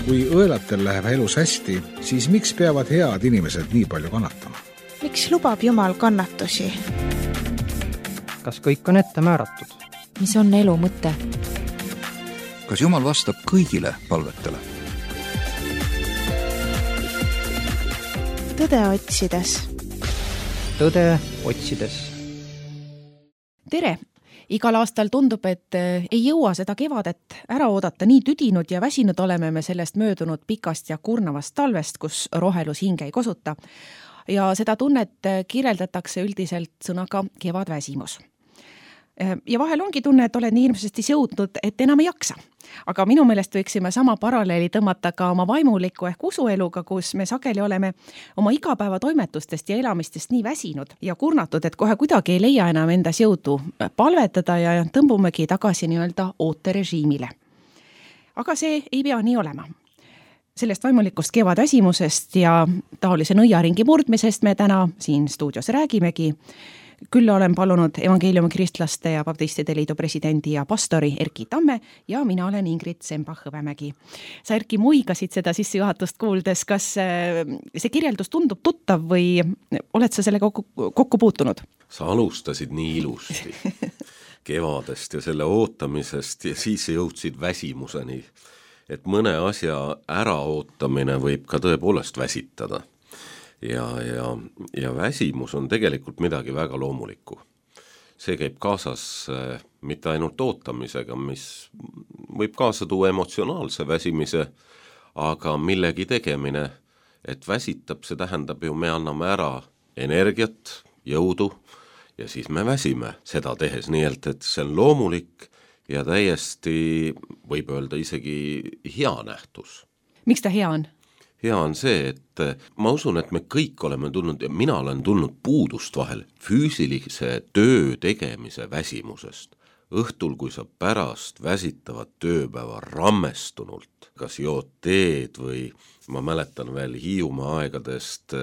Kui õelatel läheb elus hästi, siis miks peavad head inimesed nii palju kannatama? Miks lubab Jumal kannatusi? Kas kõik on ette määratud? Mis on elu mõte? Kas Jumal vastab kõigile palvetele? Tõde otsides. Tõde otsides. Tere! Igal aastal tundub, et ei jõua seda kevadet ära oodata. Nii tüdinud ja väsinud oleme me sellest möödunud pikast ja kurnavast talvest, kus rohelus hinge ei kosuta. Ja seda tunnet kirjeldatakse üldiselt sõnaga kevadväsimus. Ja vahel ongi tunne, et oled nii hirmsasti jõudnud, et enam ei jaksa. Aga minu meelest võiksime sama paralleeli tõmmata ka oma vaimuliku ehk usueluga, kus me sageli oleme oma igapäeva toimetustest ja elamistest nii väsinud ja kurnatud, et kohe kuidagi ei leia enam endas jõudu palvetada ja tõmbumegi tagasi nii-öelda ooterežiimile. Aga see ei pea nii olema. Sellest vaimulikust kevadväsimusest ja taolise nõiaringi murdmisest me täna siin stuudios räägimegi. Küll olen palunud Evangeeliumi Kristlaste ja Baptistide Liidu presidendi ja pastori Erki Tamme ja mina olen Ingrid Sembach-Hõbemägi. Sa, Erki, muigasid seda sissejuhatust kuuldes. Kas see kirjeldus tundub tuttav või oled sa selle kokku puutunud? Sa alustasid nii ilusti kevadest ja selle ootamisest ja siis jõudsid väsimuseni, et mõne asja äraootamine võib ka tõepoolest väsitada. Ja väsimus on tegelikult midagi väga loomulikku. See käib kaasas mitte ainult ootamisega, mis võib kaasa tuua emotsionaalse väsimise, aga millegi tegemine, et väsitab, see tähendab ju, me anname ära energiat, jõudu ja siis me väsime seda tehes, nii et see on loomulik ja täiesti võib öelda isegi hea nähtus. Miks ta hea on? Hea on see, et ma usun, et me kõik oleme tulnud ja mina olen tulnud puudust vahel füüsilise töö tegemise väsimusest. Õhtul, kui sa pärast väsitavat tööpäeva rammestunult, kas jood teed või ma mäletan veel Hiiumaa aegadest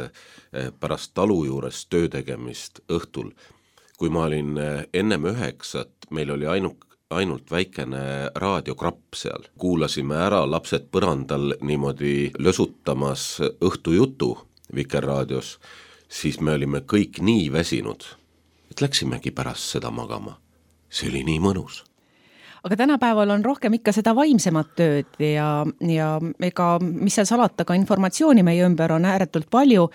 pärast talu juures töö tegemist õhtul, kui ma olin ennem 9, meil oli ainult väikene raadiokrapp seal. Kuulasime ära lapsed põrandal niimoodi lösutamas õhtujutu Vikerraadios, siis me olime kõik nii väsinud, et läksimegi pärast seda magama. See oli nii mõnus. Aga tänapäeval on rohkem ikka seda vaimsemat tööd ja ega mis seal salata, ka informatsiooni meie ümber on ääretult palju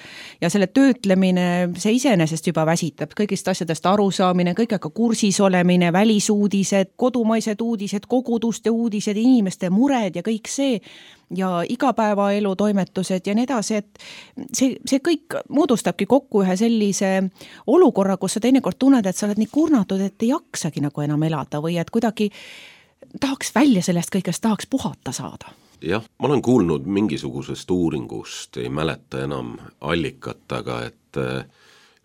ja selle töötlemine, see iseenesest juba väsitab. Kõigist asjadest arusaamine, kõigega kursis olemine, välisuudised, kodumaised uudised, koguduste uudised, inimeste mured ja kõik see ja igapäevaelu toimetused ja nii edasi, et see kõik moodustabki kokku ühe sellise olukorra, kus sa teinekord tunned, et sa oled nii kurnatud, et ei jaksagi nagu enam elada või et kuidagi tahaks välja sellest kõigest, tahaks puhata saada. Jah, ma olen kuulnud mingisugusest uuringust, ei mäleta enam allikat, aga et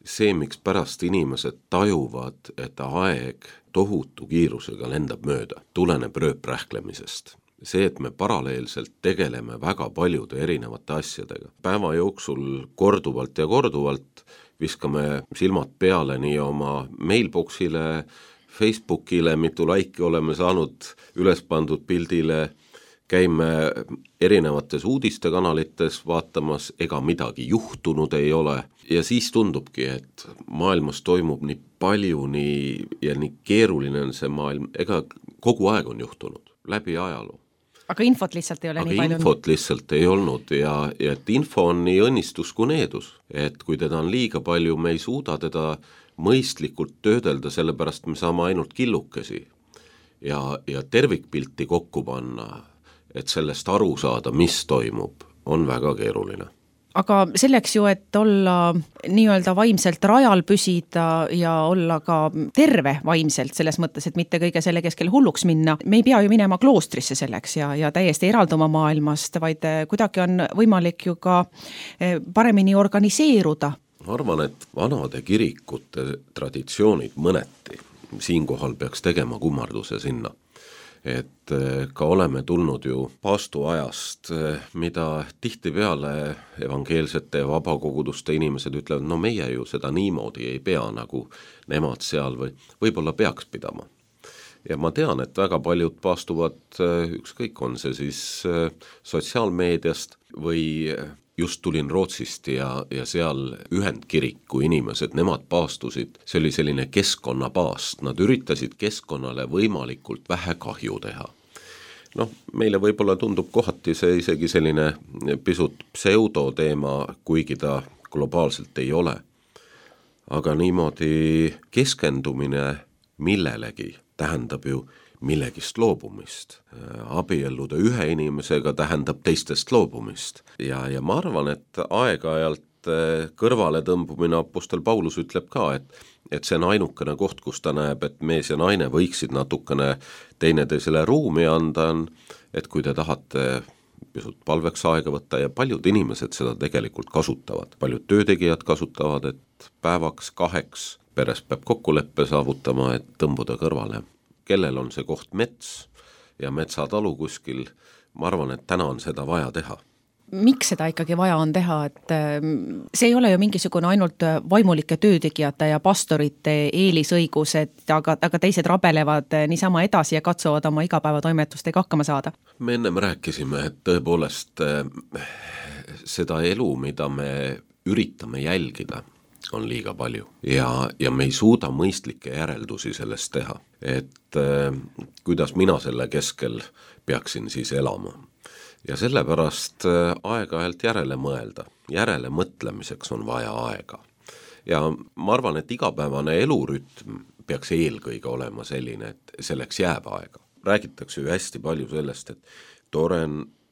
see, miks pärast inimesed tajuvad, et aeg tohutu kiirusega lendab mööda, tuleneb rööprähklemisest. See, et me paralleelselt tegeleme väga paljude erinevate asjadega. Päeva jooksul korduvalt ja korduvalt viskame silmad peale nii oma mailboxile, Facebookile, mitu laiki oleme saanud üles pandud pildile, käime erinevates uudistekanalites vaatamas, ega midagi juhtunud ei ole. Ja siis tundubki, et maailmas toimub nii palju ja nii keeruline on see maailm, ega kogu aeg on juhtunud läbi ajaloo. Aga infot lihtsalt ei ole nii palju. Aga infot lihtsalt ei olnud ja et info on nii õnnistus kui needus. Et kui teda on liiga palju, me ei suuda teda mõistlikult töödelda, sellepärast me saame ainult killukesi ja tervikpilti kokku panna, et sellest aru saada, mis toimub, on väga keeruline. Aga selleks ju, et olla nii-öelda vaimselt rajal püsida ja olla ka terve vaimselt selles mõttes, et mitte kõige selle keskel hulluks minna, me ei pea ju minema kloostrisse selleks ja täiesti eralduma maailmast, vaid kuidagi on võimalik ju ka paremini organiseeruda. Ma arvan, et vanade kirikute traditsioonid mõneti, siinkohal peaks tegema kummarduse sinna. Et ka oleme tulnud ju paastuajast, mida tihtipeale evangeelsete ja vabakoguduste inimesed ütlevad, no meie ju seda niimoodi ei pea, nagu nemad seal või võib-olla peaks pidama. ja ma tean, et väga paljud paastuvad, ükskõik on see siis sotsiaalmeediast või just tulin Rootsist ja seal Ühendkiriku inimesed, nemad paastusid, see oli selline keskkonnapaast, nad üritasid keskkonnale võimalikult vähe kahju teha. Noh, meile võib-olla tundub kohati see isegi selline pisut pseudoteema, kuigi ta globaalselt ei ole. Aga niimoodi keskendumine millelegi tähendab ju millegist loobumist. Abielluda ühe inimesega tähendab teistest loobumist. Ja ma arvan, et aeg-ajalt kõrvale tõmbumine Apostel Paulus ütleb ka, et see on ainukene koht, kus ta näeb, et mees ja naine võiksid natukene teineteisele ruumi anda, et kui te tahate pisut palveks aega võtta ja paljud inimesed seda tegelikult kasutavad. Paljud töötegijad kasutavad, et päevaks, 2 peres peab kokkuleppe saavutama, et tõmbuda kõrvale. Kellel on see koht mets ja metsatalu kuskil, ma arvan, et täna on seda vaja teha. Miks seda ikkagi vaja on teha, et see ei ole ju mingisugune ainult vaimulike töötegijate ja pastorite eelisõigus, aga teised rabelevad niisama edasi ja katsuvad oma igapäevatoimetustega hakkama saada? Me ennem rääkisime, et tõepoolest seda elu, mida me üritame jälgida, on liiga palju ja me ei suuda mõistlikke järeldusi sellest teha, et kuidas mina selle keskel peaksin siis elama. Ja sellepärast aeg-ajalt järele mõelda, järele mõtlemiseks on vaja aega. Ja ma arvan, et igapäevane elurütm peaks eelkõige olema selline, et selleks jääb aega. Räägitakse ju hästi palju sellest, et tore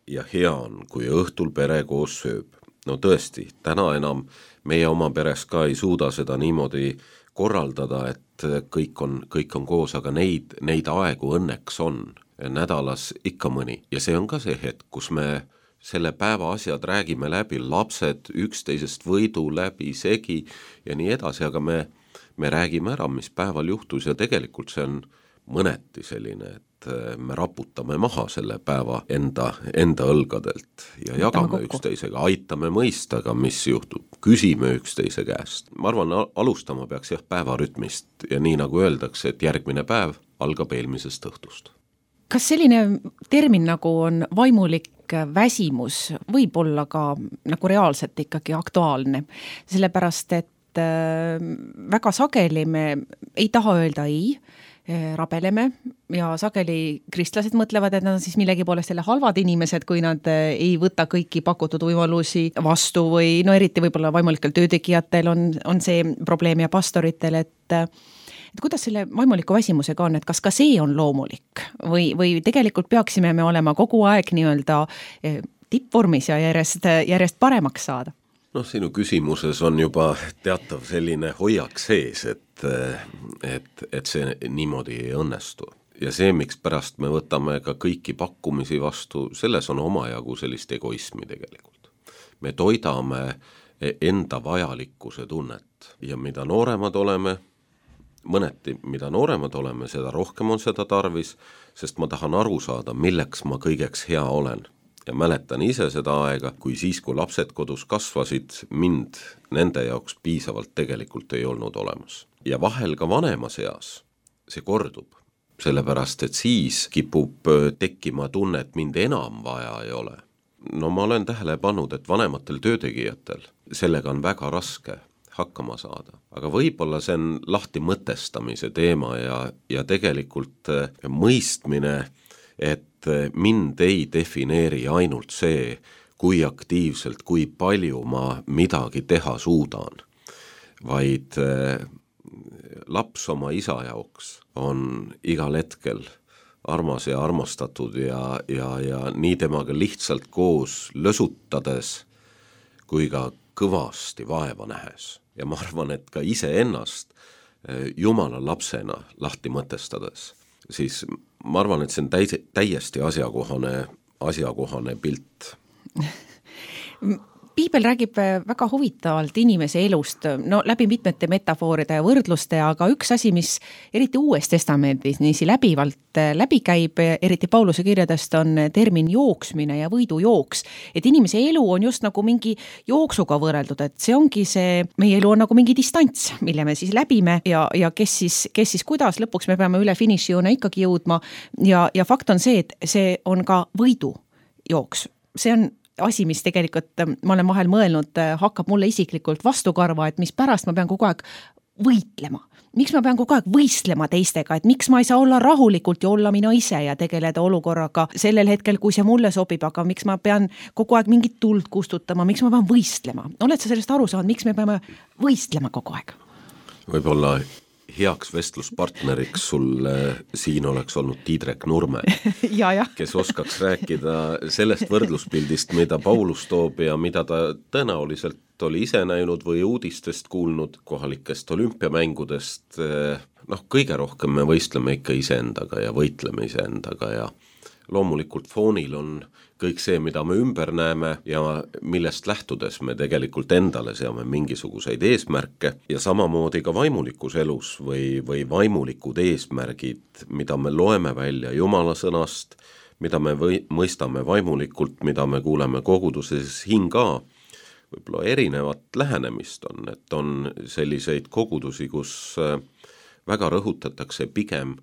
ja hea on, kui õhtul pere koos sööb. No tõesti, täna enam meie oma peres ka ei suuda seda niimoodi korraldada, et kõik on koos, aga neid aegu õnneks on nädalas ikka mõni. Ja see on ka see hetk, kus me selle päeva asjad räägime läbi, lapsed üksteisest võidu läbi, segi ja nii edasi, aga me räägime ära, mis päeval juhtus ja tegelikult see on mõneti selline, et me raputame maha selle päeva enda õlgadelt ja jagame üksteisega, aitame mõistaga, mis juhtub, küsime üksteise käest. Ma arvan, alustama peaks päevarütmist ja nii nagu öeldakse, et järgmine päev algab eelmisest õhtust. Kas selline termin nagu on vaimulik väsimus võib olla ka nagu reaalselt ikkagi aktuaalne, sellepärast et väga sageli me ei taha öelda ei, rabeleme ja sageli kristlased mõtlevad, et nad on siis millegi poolest jälle halvad inimesed, kui nad ei võta kõiki pakutud võimalusi vastu või no eriti võib-olla vaimulikel töötegijatel on see probleem ja pastoritel, et kuidas selle vaimuliku väsimusega on, et kas ka see on loomulik või tegelikult peaksime me olema kogu aeg nii-öelda tippvormis ja järjest paremaks saada? Noh, sinu küsimuses on juba teatav selline hoiak sees, et see niimoodi ei õnnestu. Ja see, miks pärast me võtame ka kõiki pakkumisi vastu, selles on omajagu sellist egoismi tegelikult. Me toidame enda vajalikkuse tunnet ja mida nooremad oleme, mõneti, mida nooremad oleme, seda rohkem on seda tarvis, sest ma tahan aru saada, milleks ma kõigeks hea olen. Ja mäletan ise seda aega, kui siis, kui lapsed kodus kasvasid, mind nende jaoks piisavalt tegelikult ei olnud olemas. Ja vahel ka vanemas eas see kordub, sellepärast, et siis kipub tekkima tunne, et mind enam vaja ei ole. No ma olen tähele pannud, et vanematel töötegijatel sellega on väga raske hakkama saada. Aga võib-olla see on lahti mõtestamise teema ja tegelikult mõistmine, et mind ei defineeri ainult see, kui aktiivselt, kui palju ma midagi teha suudan, vaid laps oma isa jaoks on igal hetkel armas ja armastatud ja nii temaga lihtsalt koos lösutades kui ka kõvasti vaeva nähes. Ja ma arvan, et ka iseennast Jumala lapsena lahti mõtestades, siis ma arvan, et see on täiesti asjakohane pilt. Piibel räägib väga huvitavalt inimese elust, no läbi mitmete metafooride ja võrdluste, aga üks asi, mis eriti Uues Testamendis niisi läbivalt läbi käib, eriti Pauluse kirjadest, on termin jooksmine ja võidujooks. Et inimese elu on just nagu mingi jooksuga võrreldud, et see ongi see, meie elu on nagu mingi distants, mille me siis läbime ja kes siis kuidas, lõpuks me peame üle finišijoone ikkagi jõudma ja fakt on see, et see on ka võidujooks. See on asi, mis tegelikult, ma olen vahel mõelnud, hakkab mulle isiklikult vastukarva, et mis pärast ma pean kogu aeg võitlema. Miks ma pean kogu aeg võistlema teistega, et miks ma ei saa olla rahulikult ja olla mina ise ja tegeleda olukorraga sellel hetkel, kui see mulle sobib, aga miks ma pean kogu aeg mingit tuld kustutama, miks ma pean võistlema? Oled sa sellest aru saanud, miks me peame võistlema kogu aeg? Võib-olla heaks vestluspartneriks sul siin oleks olnud Tiidrek Nurme, kes oskaks rääkida sellest võrdluspildist, mida Paulus toob ja mida ta tõenäoliselt oli ise näinud või uudistest kuulnud kohalikest olümpiamängudest. Kõige rohkem me võistleme ikka iseendaga ja võitleme iseendaga ja loomulikult foonil on kõik see, mida me ümber näeme ja millest lähtudes me tegelikult endale seame mingisuguseid eesmärke ja samamoodi ka vaimulikus elus või vaimulikud eesmärgid, mida me loeme välja Jumala sõnast, mida me mõistame vaimulikult, mida me kuuleme koguduses hinga, võib-olla erinevat lähenemist on, et on selliseid kogudusi, kus väga rõhutatakse pigem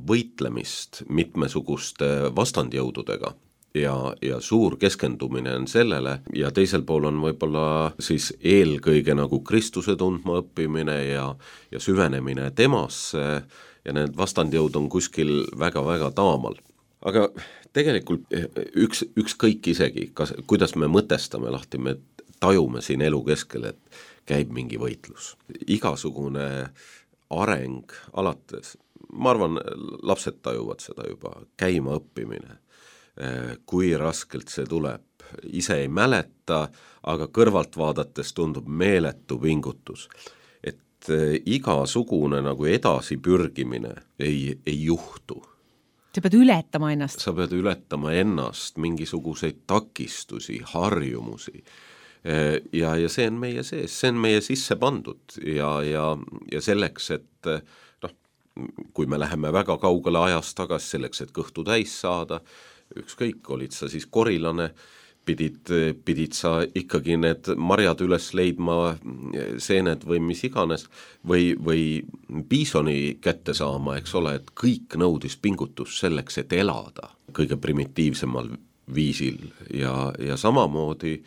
võitlemist mitmesuguste vastandjõududega ja suur keskendumine on sellele ja teisel pool on võib-olla siis eelkõige nagu Kristuse tundma õppimine ja süvenemine temasse ja need vastandjõud on kuskil väga-väga taamal. Aga tegelikult ükskõik isegi, kuidas me mõtestame lahti, me tajume siin elu keskel, et käib mingi võitlus. Igasugune areng alates, ma arvan, lapsed tajuvad seda juba, käima õppimine, kui raskelt see tuleb, ise ei mäleta, aga kõrvalt vaadates tundub meeletu pingutus, et igasugune nagu edasi pürgimine ei juhtu. Sa pead ületama ennast. Sa pead ületama ennast, mingisuguseid takistusi, harjumusi ja see on meie sees, see on meie sisse pandud ja selleks, et kui me läheme väga kaugele ajast tagasi selleks, et kõhtu täis saada, ükskõik, olid sa siis korilane, pidid sa ikkagi need marjad üles leidma, seened või mis iganes, või piisoni kätte saama, eks ole, et kõik nõudis pingutus selleks, et elada kõige primitiivsemal viisil ja samamoodi,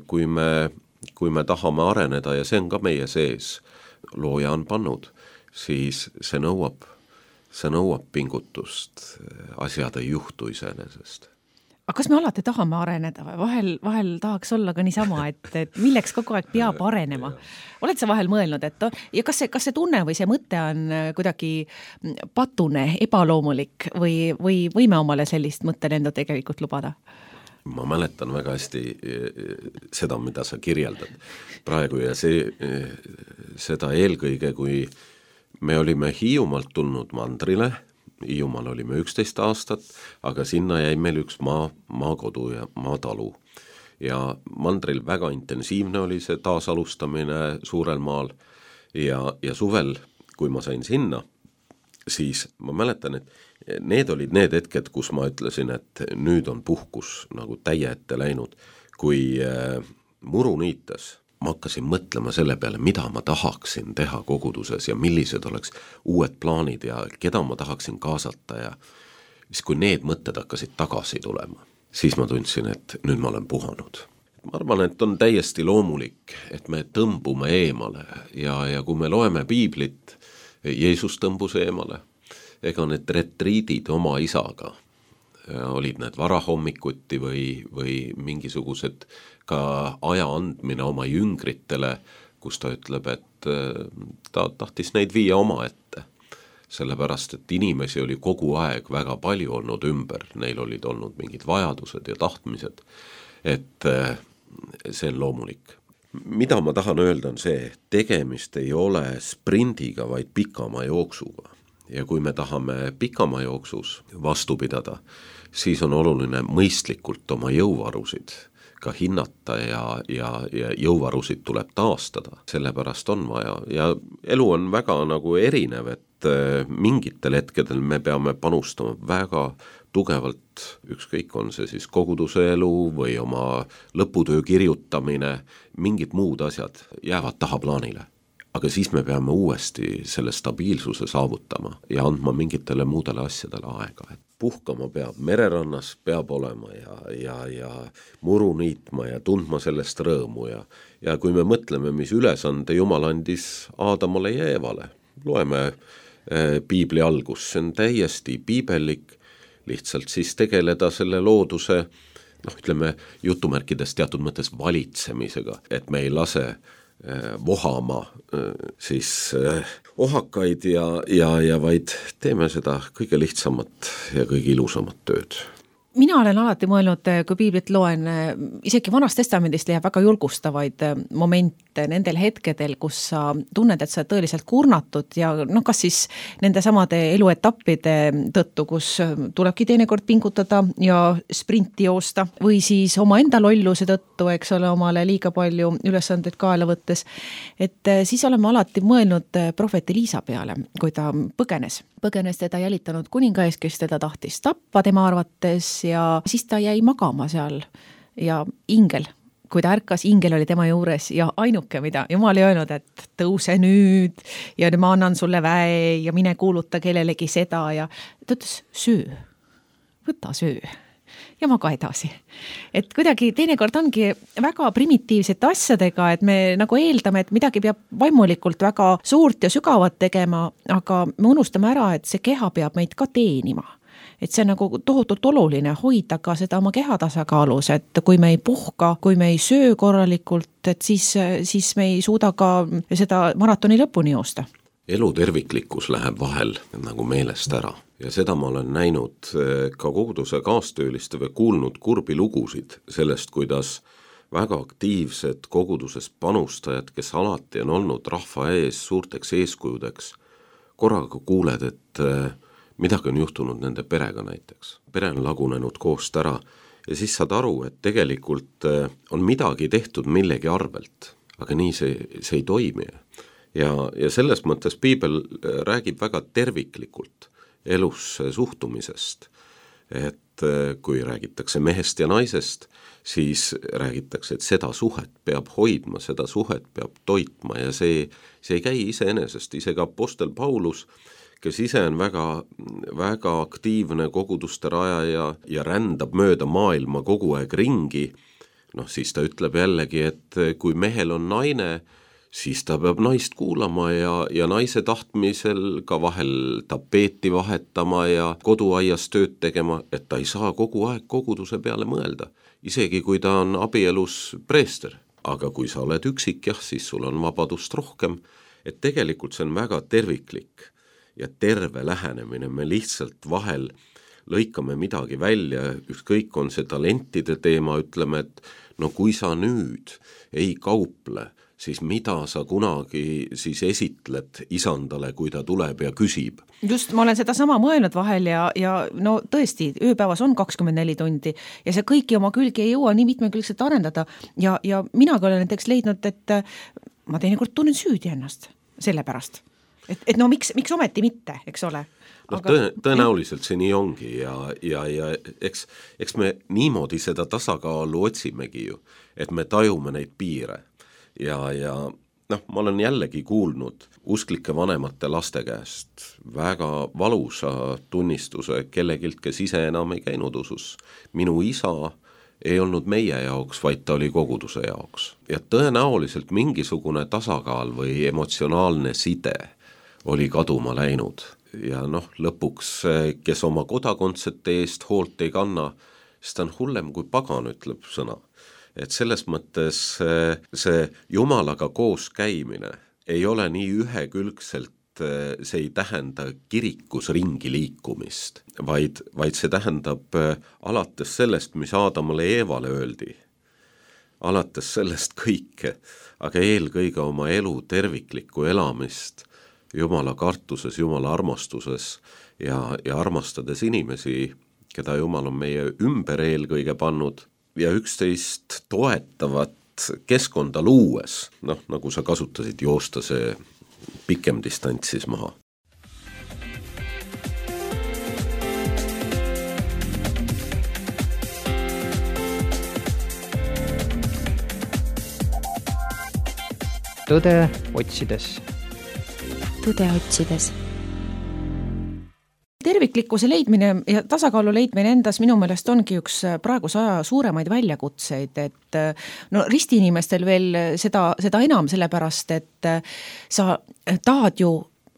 kui me tahame areneda ja see on ka meie sees, looja on pannud, siis see nõuab pingutust, asjad ei juhtu iseenesest. Aga kas me alati tahame areneda või vahel tahaks olla ka niisama, et milleks kogu aeg peab arenema? Oled sa vahel mõelnud, et ja kas see tunne või see mõte on kuidagi patune, ebaloomulik või võime omale sellist mõttelendu tegelikult lubada? Ma mäletan väga hästi seda, mida sa kirjeldad praegu ja seda eelkõige, kui me olime Hiiumaalt tulnud Mandrile, Hiiumaal olime 11 aastat, aga sinna jäi meil üks maakodu ja maatalu. Ja Mandril väga intensiivne oli see taasalustamine suurel maal ja suvel, kui ma sain sinna, siis ma mäletan, et need olid need hetked, kus ma ütlesin, et nüüd on puhkus nagu täie ette läinud. Kui muru niitas, ma hakkasin mõtlema selle peale, mida ma tahaksin teha koguduses ja millised oleks uued plaanid ja keda ma tahaksin kaasata ja siis kui need mõtted hakkasid tagasi tulema, siis ma tundsin, et nüüd ma olen puhanud. Ma arvan, et on täiesti loomulik, et me tõmbume eemale ja kui me loeme piiblit, Jeesus tõmbus eemale, ega need retriidid oma isaga, olid need varahommikuti või mingisugused ka aja andmine oma jüngritele, kus ta ütleb, et ta tahtis neid viia oma ette. Sellepärast, et inimesi oli kogu aeg väga palju olnud ümber, neil olid olnud mingid vajadused ja tahtmised, et see on loomulik. Mida ma tahan öelda on see, tegemist ei ole sprindiga, vaid pikama jooksuga. Ja kui me tahame pikama jooksus vastu pidada, siis on oluline mõistlikult oma jõuvarusid ka hinnata ja jõuvarusid tuleb taastada, sellepärast on vaja ja elu on väga nagu erinev, et mingitel hetkedel me peame panustama väga tugevalt, ükskõik on see siis koguduse elu või oma lõputöö kirjutamine, mingid muud asjad jäävad tahaplaanile. Aga siis me peame uuesti selle stabiilsuse saavutama ja andma mingitele muudele asjadele aega. Et puhkama peab, mererannas peab olema ja muru niitma ja tundma sellest rõõmu ja kui me mõtleme, mis ülesande Jumal andis Aadamale ja Eevale, loeme piibli algus, see on täiesti piibellik, lihtsalt siis tegeleda selle looduse, ütleme jutumärkides teatud mõttes valitsemisega, et me ei lase vohama siis ohakaid ja vaid teeme seda kõige lihtsamat ja kõige ilusamat tööd. Mina olen alati mõelnud, kui piiblit loen, isegi Vanast Testamendist leiab väga julgustavaid momente nendel hetkedel, kus sa tunned, et sa tõeliselt kurnatud ja kas siis nende samade eluetappide tõttu, kus tulebki teinekord pingutada ja sprinti joosta või siis oma enda lolluse tõttu, eks ole, omale liiga palju ülesandeid kaela võttes, et siis oleme alati mõelnud prohvet Eliisa peale, kui ta põgenes teda jälitanud kuningaes, kes teda tahtis tappa tema arvates ja siis ta jäi magama seal ja ingel, kui ta ärkas, ingel oli tema juures ja ainuke, mida Jumal ei öelnud, et tõuse nüüd ja ma annan sulle väe ja mine kuuluta kellelegi seda ja ta ütles, söö, võta söö ja maga edasi. Et kuidagi teinekord ongi väga primitiivsete asjadega, et me nagu eeldame, et midagi peab vaimulikult väga suurt ja sügavat tegema, aga me unustame ära, et see keha peab meid ka teenima. Et see on nagu tohutult oluline hoida ka seda oma keha tasakaalus, et kui me ei puhka, kui me ei söö korralikult, et siis me ei suuda ka seda maratoni lõpuni joosta. Elu terviklikkus läheb vahel nagu meelest ära ja seda ma olen näinud ka koguduse kaastööliste või kuulnud kurbi lugusid sellest, kuidas väga aktiivsed koguduses panustajad, kes alati on olnud rahva ees suurteks eeskujudeks, korraga kuuled, et midagi on juhtunud nende perega näiteks. Pere on lagunenud koost ära ja siis saad aru, et tegelikult on midagi tehtud millegi arvelt, aga nii see ei toimi. Ja selles mõttes piibel räägib väga terviklikult elus suhtumisest, et kui räägitakse mehest ja naisest, siis räägitakse, et seda suhet peab hoidma, seda suhet peab toitma ja see ei käi iseenesest, isegi apostel Paulus, kes ise on väga, väga aktiivne koguduste rajaja ja rändab mööda maailma kogu aeg ringi, siis ta ütleb jällegi, et kui mehel on naine, siis ta peab naist kuulama ja naise tahtmisel ka vahel tapeeti vahetama ja koduaias tööd tegema, et ta ei saa kogu aeg koguduse peale mõelda, isegi kui ta on abielus preester. Aga kui sa oled üksik, siis sul on vabadust rohkem, et tegelikult see on väga terviklik ja terve lähenemine, me lihtsalt vahel lõikame midagi välja, ükskõik on see talentide teema, ütleme, et kui sa nüüd ei kauple, siis mida sa kunagi siis esitled isandale, kui ta tuleb ja küsib. Just, ma olen seda sama mõelnud vahel ja tõesti, ööpäevas on 24 tundi ja see kõiki oma külgi ei jõua nii mitmekülgselt arendada ja mina ka olen näiteks leidnud, et ma teinekord tunnen süüdi ennast selle pärast. Et miks ometi mitte, eks ole? Tõenäoliselt see nii ongi ja eks me niimoodi seda tasakaalu otsimegi ju, et me tajume neid piire. Ja ma olen jällegi kuulnud usklike vanemate laste käest väga valusa tunnistuse kellegilt, kes ise enam ei käinud usus. Minu isa ei olnud meie jaoks, vaid ta oli koguduse jaoks. Ja tõenäoliselt mingisugune tasakaal või emotsionaalne side oli kaduma läinud. Ja lõpuks, kes oma kodakondsete eest hoolt ei kanna, siis ta on hullem kui pagan, ütleb sõna. Et selles mõttes see Jumalaga koos käimine ei ole nii ühekülgselt, see ei tähenda kirikus ringi liikumist, vaid see tähendab alates sellest, mis Aadamale ja Eevale öeldi, alates sellest kõike, aga eelkõige oma elu terviklikku elamist Jumala kartuses, Jumala armastuses ja armastades inimesi, keda Jumal on meie ümber eelkõige pannud ja üksteist toetavat keskkonda luues, nagu sa kasutasid, joosta see pikem distants siis maha. Tõde otsides. Tõde otsides. Terviklikkuse leidmine ja tasakaalu leidmine endas minu meelest ongi üks praeguse aja suuremaid väljakutseid, et ristiinimestel veel seda enam, sellepärast, et sa tahad ju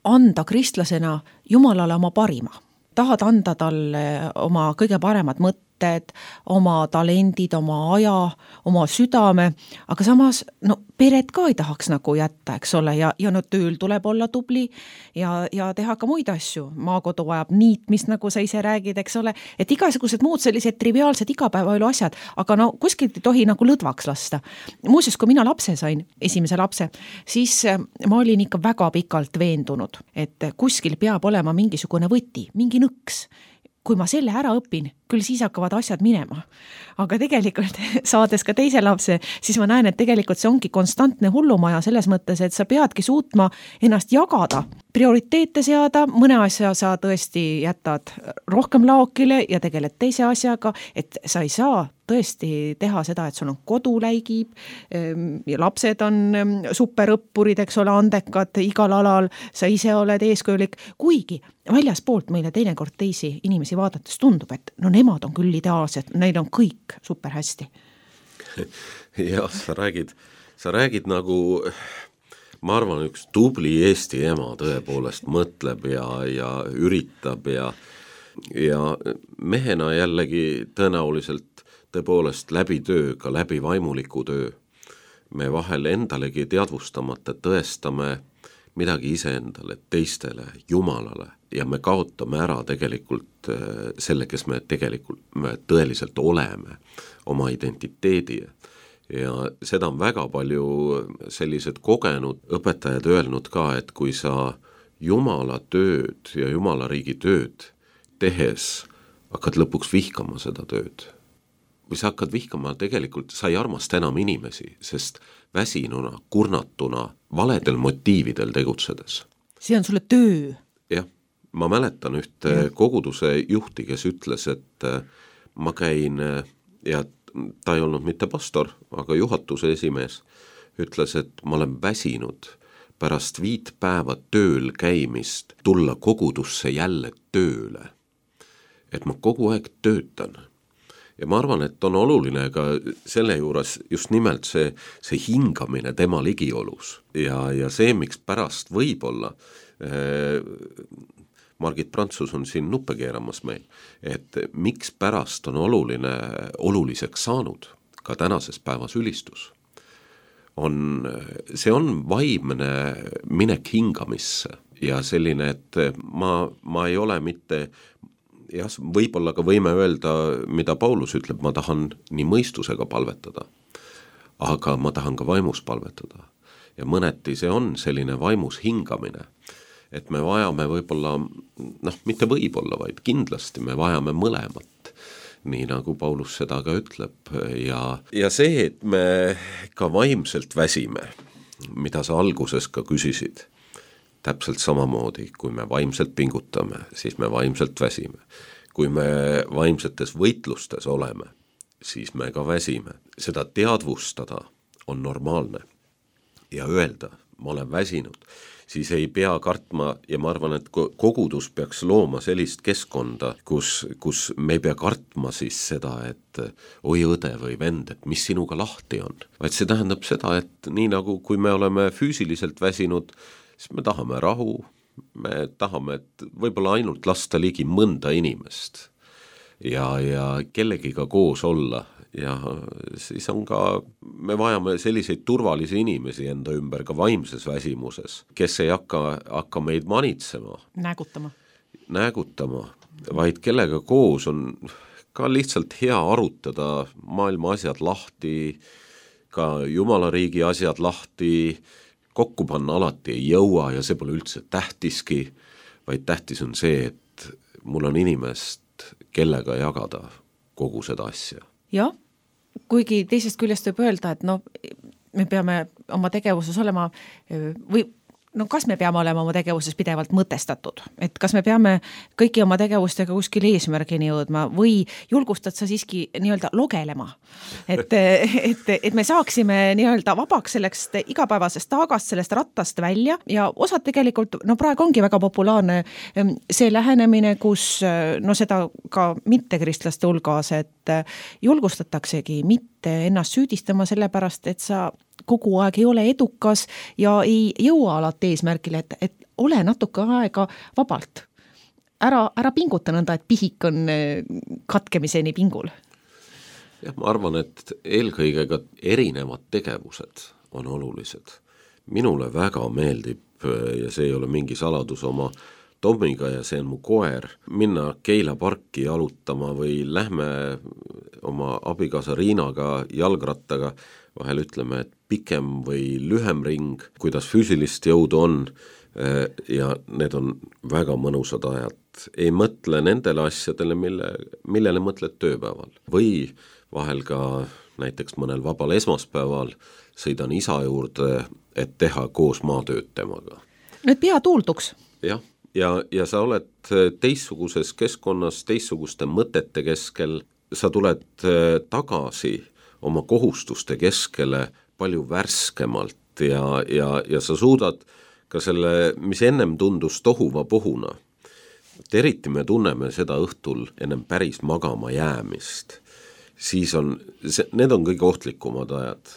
anda kristlasena Jumalale oma parima. Tahad anda talle oma kõige paremad mõtted, oma talendid, oma aja, oma südame, aga samas peret ka ei tahaks nagu jätta, eks ole, ja tööl tuleb olla tubli ja teha ka muid asju. Maakodu vajab niitmist, nagu sa ise räägid, eks ole, et igasugused muud sellised triviaalsed igapäevaelu asjad, aga kuskilt ei tohi nagu lõdvaks lasta. Muuseas, kui mina lapse sain, esimese lapse, siis ma olin ikka väga pikalt veendunud, et kuskil peab olema mingisugune võti, mingi nõks. Kui ma selle ära õpin, küll siis hakkavad asjad minema. Aga tegelikult saades ka teise lapse, siis ma näen, et tegelikult see ongi konstantne hullumaja selles mõttes, et sa peadki suutma ennast jagada, prioriteete seada, mõne asja sa tõesti jätad rohkem laokile ja tegeled teise asjaga, et sa ei saa tõesti teha seda, et sul on kodu läigib, ja lapsed on superõppurid, eks ole, andekad igal alal, sa ise oled eeskujulik, kuigi väljaspoolt meile teinekord teisi inimesi vaadates tundub, et nemad on küll ideaalsed, neil on kõik super hästi. Jah, sa räägid nagu, ma arvan, üks tubli Eesti ema tõepoolest mõtleb ja üritab ja mehena jällegi tõenäoliselt tõepoolest läbi töö, ka läbi vaimuliku töö. Me vahel endalegi teadvustamata tõestame midagi iseendale, teistele, Jumalale ja me kaotame ära tegelikult selle, kes me tõeliselt oleme, oma identiteedi. Ja seda on väga palju sellised kogenud õpetajad öelnud ka, et kui sa Jumala tööd ja Jumala riigi tööd tehes hakkad lõpuks vihkama seda tööd, või sa hakkad vihkama tegelikult, sa ei armasta enam inimesi, sest väsinuna, kurnatuna, valedel motiividel tegutsedes. See on sulle töö. Jah, ma mäletan ühte koguduse juhti, kes ütles, et ma käin, ja ta ei olnud mitte pastor, aga juhatuse esimees, ütles, et ma olen väsinud pärast 5 päeva tööl käimist tulla kogudusse jälle tööle. Et ma kogu aeg töötan. Ja ma arvan, et on oluline ka selle juures just nimelt see hingamine tema ligiolus. Ja see, miks pärast võib-olla, Margit Prantsus on siin nuppe keeramas meil, et miks pärast on oluliseks saanud ka tänases päevas ülistus. See on vaimne minek hingamisse ja selline, et ma ei ole mitte... Jah, võib-olla ka võime öelda, mida Paulus ütleb, ma tahan nii mõistusega palvetada, aga ma tahan ka vaimus palvetada. Ja mõneti see on selline vaimus hingamine, et me vajame võib-olla, mitte võib-olla, vaid kindlasti me vajame mõlemat, nii nagu Paulus seda ka ütleb. Ja see, et me ka vaimselt väsime, mida sa alguses ka küsisid, täpselt samamoodi, kui me vaimselt pingutame, siis me vaimselt väsime. Kui me vaimsetes võitlustes oleme, siis me ka väsime. Seda teadvustada on normaalne ja öelda, ma olen väsinud, siis ei pea kartma ja ma arvan, et kogudus peaks looma sellist keskkonda, kus me ei pea kartma siis seda, et oi õde või vend, et mis sinuga lahti on. Vaid see tähendab seda, et nii nagu kui me oleme füüsiliselt väsinud, siis me tahame rahu, me tahame, et võib-olla ainult lasta ligi mõnda inimest ja kellegiga koos olla ja siis on ka, me vajame selliseid turvalisi inimesi enda ümber ka vaimses väsimuses, kes ei hakka meid manitsema. Näägutama, vaid kellega koos on ka lihtsalt hea arutada maailma asjad lahti, ka Jumala riigi asjad lahti, kokku panna alati ei jõua ja see pole üldse tähtiski, vaid tähtis on see, et mul on inimest, kellega jagada kogu seda asja. Jah, kuigi teisest küljest võib öelda, et no, me peame oma tegevuses olema või no kas me peame olema oma tegevuses pidevalt mõtestatud, et kas me peame kõiki oma tegevustega kuskil eesmärgini jõudma või julgustad sa siiski nii-öelda logelema, et me saaksime nii-öelda vabaks sellest igapäevasest taagast, sellest rattast välja ja osad tegelikult, no praegu ongi väga populaarne see lähenemine, kus no seda ka mittekristlaste hulgas, et julgustataksegi mitte ennast süüdistama sellepärast, et sa kogu aeg ei ole edukas ja ei jõua alati eesmärgile, et ole natuke aega vabalt. Ära pinguta nõnda, et pihik on katkemiseni pingul. Jah, ma arvan, et eelkõige ka erinevad tegevused on olulised. Minule väga meeldib ja see ei ole mingi saladus oma Tommiga ja see on mu koer, minna Keila parki jalutama või lähme oma abikaasa Riinaga jalgrattaga, vahel ütleme, et pikem või lühem ring, kuidas füüsilist jõudu on ja need on väga mõnusad ajad. Ei mõtle nendele asjadele, millele mõtled tööpäeval. Või vahel ka näiteks mõnel vabal esmaspäeval sõidan isa juurde, et teha koos maatööd temaga. Nüüd pea tuulduks. Jah. Ja sa oled teistsuguses keskkonnas, teistsuguste mõtete keskel, sa tuled tagasi oma kohustuste keskele palju värskemalt ja sa suudad ka selle, mis ennem tundus tohuva pohuna. Eriti me tunneme seda õhtul ennem päris magama jäämist. Siis need on kõige ohtlikumad ajad.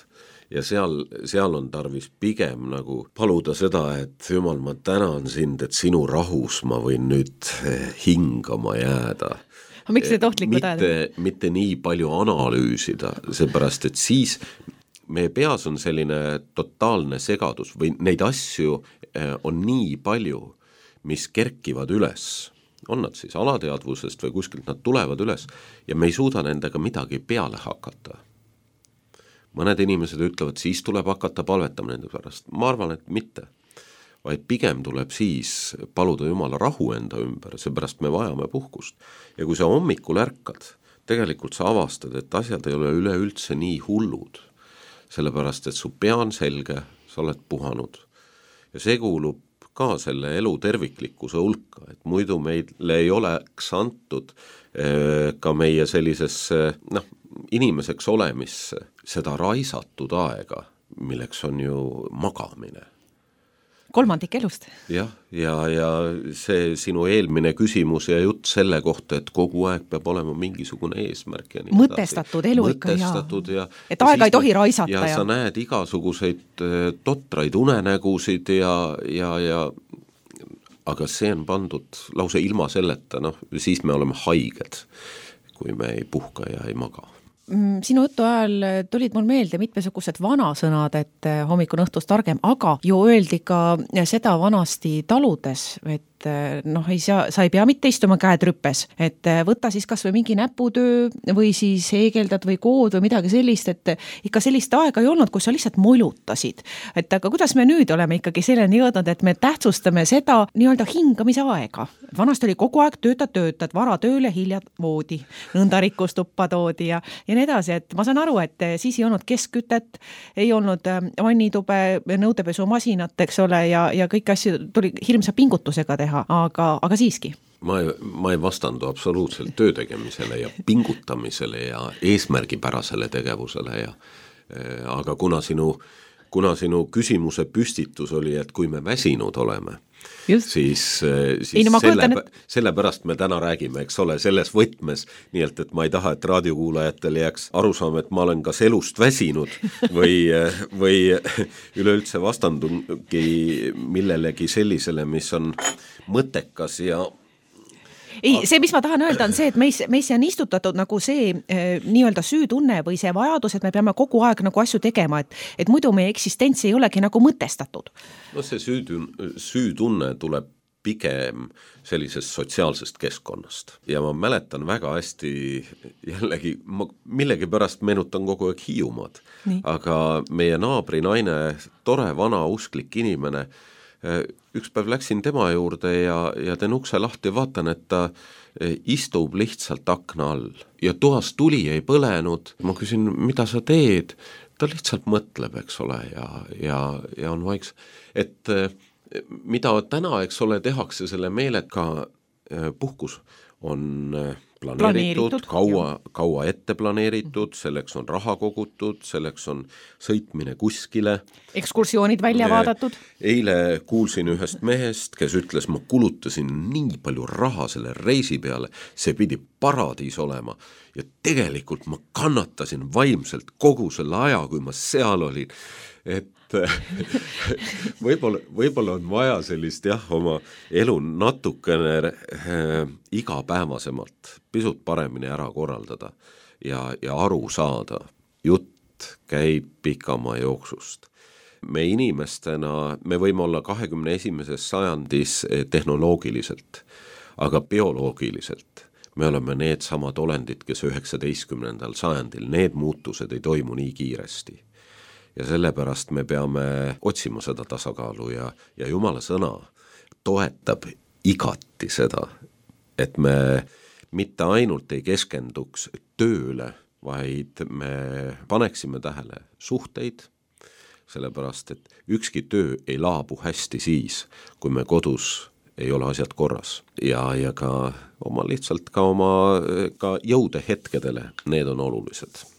Ja seal on tarvis pigem nagu paluda seda, et Jumal, ma tänan sind, et sinu rahus ma võin nüüd hingama jääda. Miks need ohtlikud ajad? Mitte nii palju analüüsida, seepärast, et siis meie peas on selline totaalne segadus või neid asju on nii palju, mis kerkivad üles. On nad siis alateadvusest või kuskilt nad tulevad üles ja me ei suuda nendega midagi peale hakata. Mõned inimesed ütlevad, siis tuleb hakata palvetama nende pärast. Ma arvan, et mitte. Vaid pigem tuleb siis paluda Jumala rahu enda ümber, seepärast me vajame puhkust. Ja kui sa hommikul ärkad, tegelikult sa avastad, et asjad ei ole üleüldse nii hullud. Sellepärast, et su pea on selge, sa oled puhanud. Ja see kuulub ka selle elu terviklikkuse hulka, et muidu meile ei oleks antud ka meie sellisesse, inimeseks olemisse seda raisatud aega, milleks on ju magamine. Kolmandik elust. Ja see sinu eelmine küsimus ja jutt selle kohta, et kogu aeg peab olema mingisugune eesmärk. Ja mõtestatud elu ikka, ja et aega ei tohi raisata. Ja sa näed igasuguseid totraid unenägusid ja aga see on pandud lause ilma selleta, siis me oleme haiged, kui me ei puhka ja ei maga. Sinu jutu ajal tulid mul meelde mitmesugused vanasõnad, et hommikul õhtust targem, aga ju öeldi ka seda vanasti taludes, et sa ei pea mitte istuma käed rüppes, et võtta siis kas või mingi näputöö või siis heegeldad või kood või midagi sellist, et ikka sellist aega ei olnud, kus sa lihtsalt molutasid. Et aga kuidas me nüüd oleme ikkagi selleni jõudnud, et me tähtsustame seda nii-öelda hingamise aega. Vanasti oli kogu aeg töötad, vara tööle, hilja voodi, nõnda rikkustuppa toodi ja nii edasi, et ma saan aru, et siis ei olnud keskkütet, ei olnud vannitube, nõudepesumasinat, eks ole, ja kõik asju tuli hirmsa pingutusega teha. Aga siiski. Ma ei vastandu absoluutselt töötegemisele ja pingutamisele ja eesmärgipärasele tegevusele. Aga kuna sinu küsimuse püstitus oli, et kui me väsinud oleme, siis sellepärast me täna räägime, eks ole, selles võtmes, nii et ma ei taha, et raadiokuulajatel jääks arusaam, et ma olen kas elust väsinud või üleüldse vastandungi millelegi sellisele, mis on mõttekas ja ei, see, mis ma tahan öelda, on see, et meisse on istutatud nagu see nii-öelda süütunne või see vajadus, et me peame kogu aeg nagu asju tegema, et muidu meie eksistents ei olegi nagu mõtestatud. No see süütunne tuleb pigem sellisest sotsiaalsest keskkonnast. Ja ma mäletan väga hästi, jällegi, ma millegi pärast meenutan kogu aeg Hiiumaad, aga meie naabri naine, tore vana usklik inimene, üks päev läksin tema juurde ja teen ukse lahti ja vaatan, et ta istub lihtsalt akna all ja toas tuli ei põlenud. Ma küsin, mida sa teed? Ta lihtsalt mõtleb, eks ole, ja on vaiks. Et mida täna, eks ole, tehakse selle meelega puhkus, on planeeritud, kaua ette planeeritud, selleks on raha kogutud, selleks on sõitmine kuskile. Ekskursioonid välja vaadatud. Eile kuulsin ühest mehest, kes ütles, ma kulutasin nii palju raha selle reisi peale, see pidi paradiis olema ja tegelikult ma kannatasin vaimselt kogu selle aja, kui ma seal olin, et võib-olla on vaja sellist oma elu natukene igapäevasemalt, pisut paremini ära korraldada ja aru saada. Jutt käib pikamaa jooksust. Me inimestena, me võime olla 21. sajandis tehnoloogiliselt, aga bioloogiliselt me oleme need samad olendid, kes 19. sajandil, need muutused ei toimu nii kiiresti. Ja sellepärast me peame otsima seda tasakaalu ja Jumala sõna toetab igati seda, et me mitte ainult ei keskenduks tööle, vaid me paneksime tähele suhteid, sellepärast et ükski töö ei laabu hästi siis, kui me kodus ei ole asjad korras ja ka oma lihtsalt ka oma ka jõude hetkedele, need on olulised.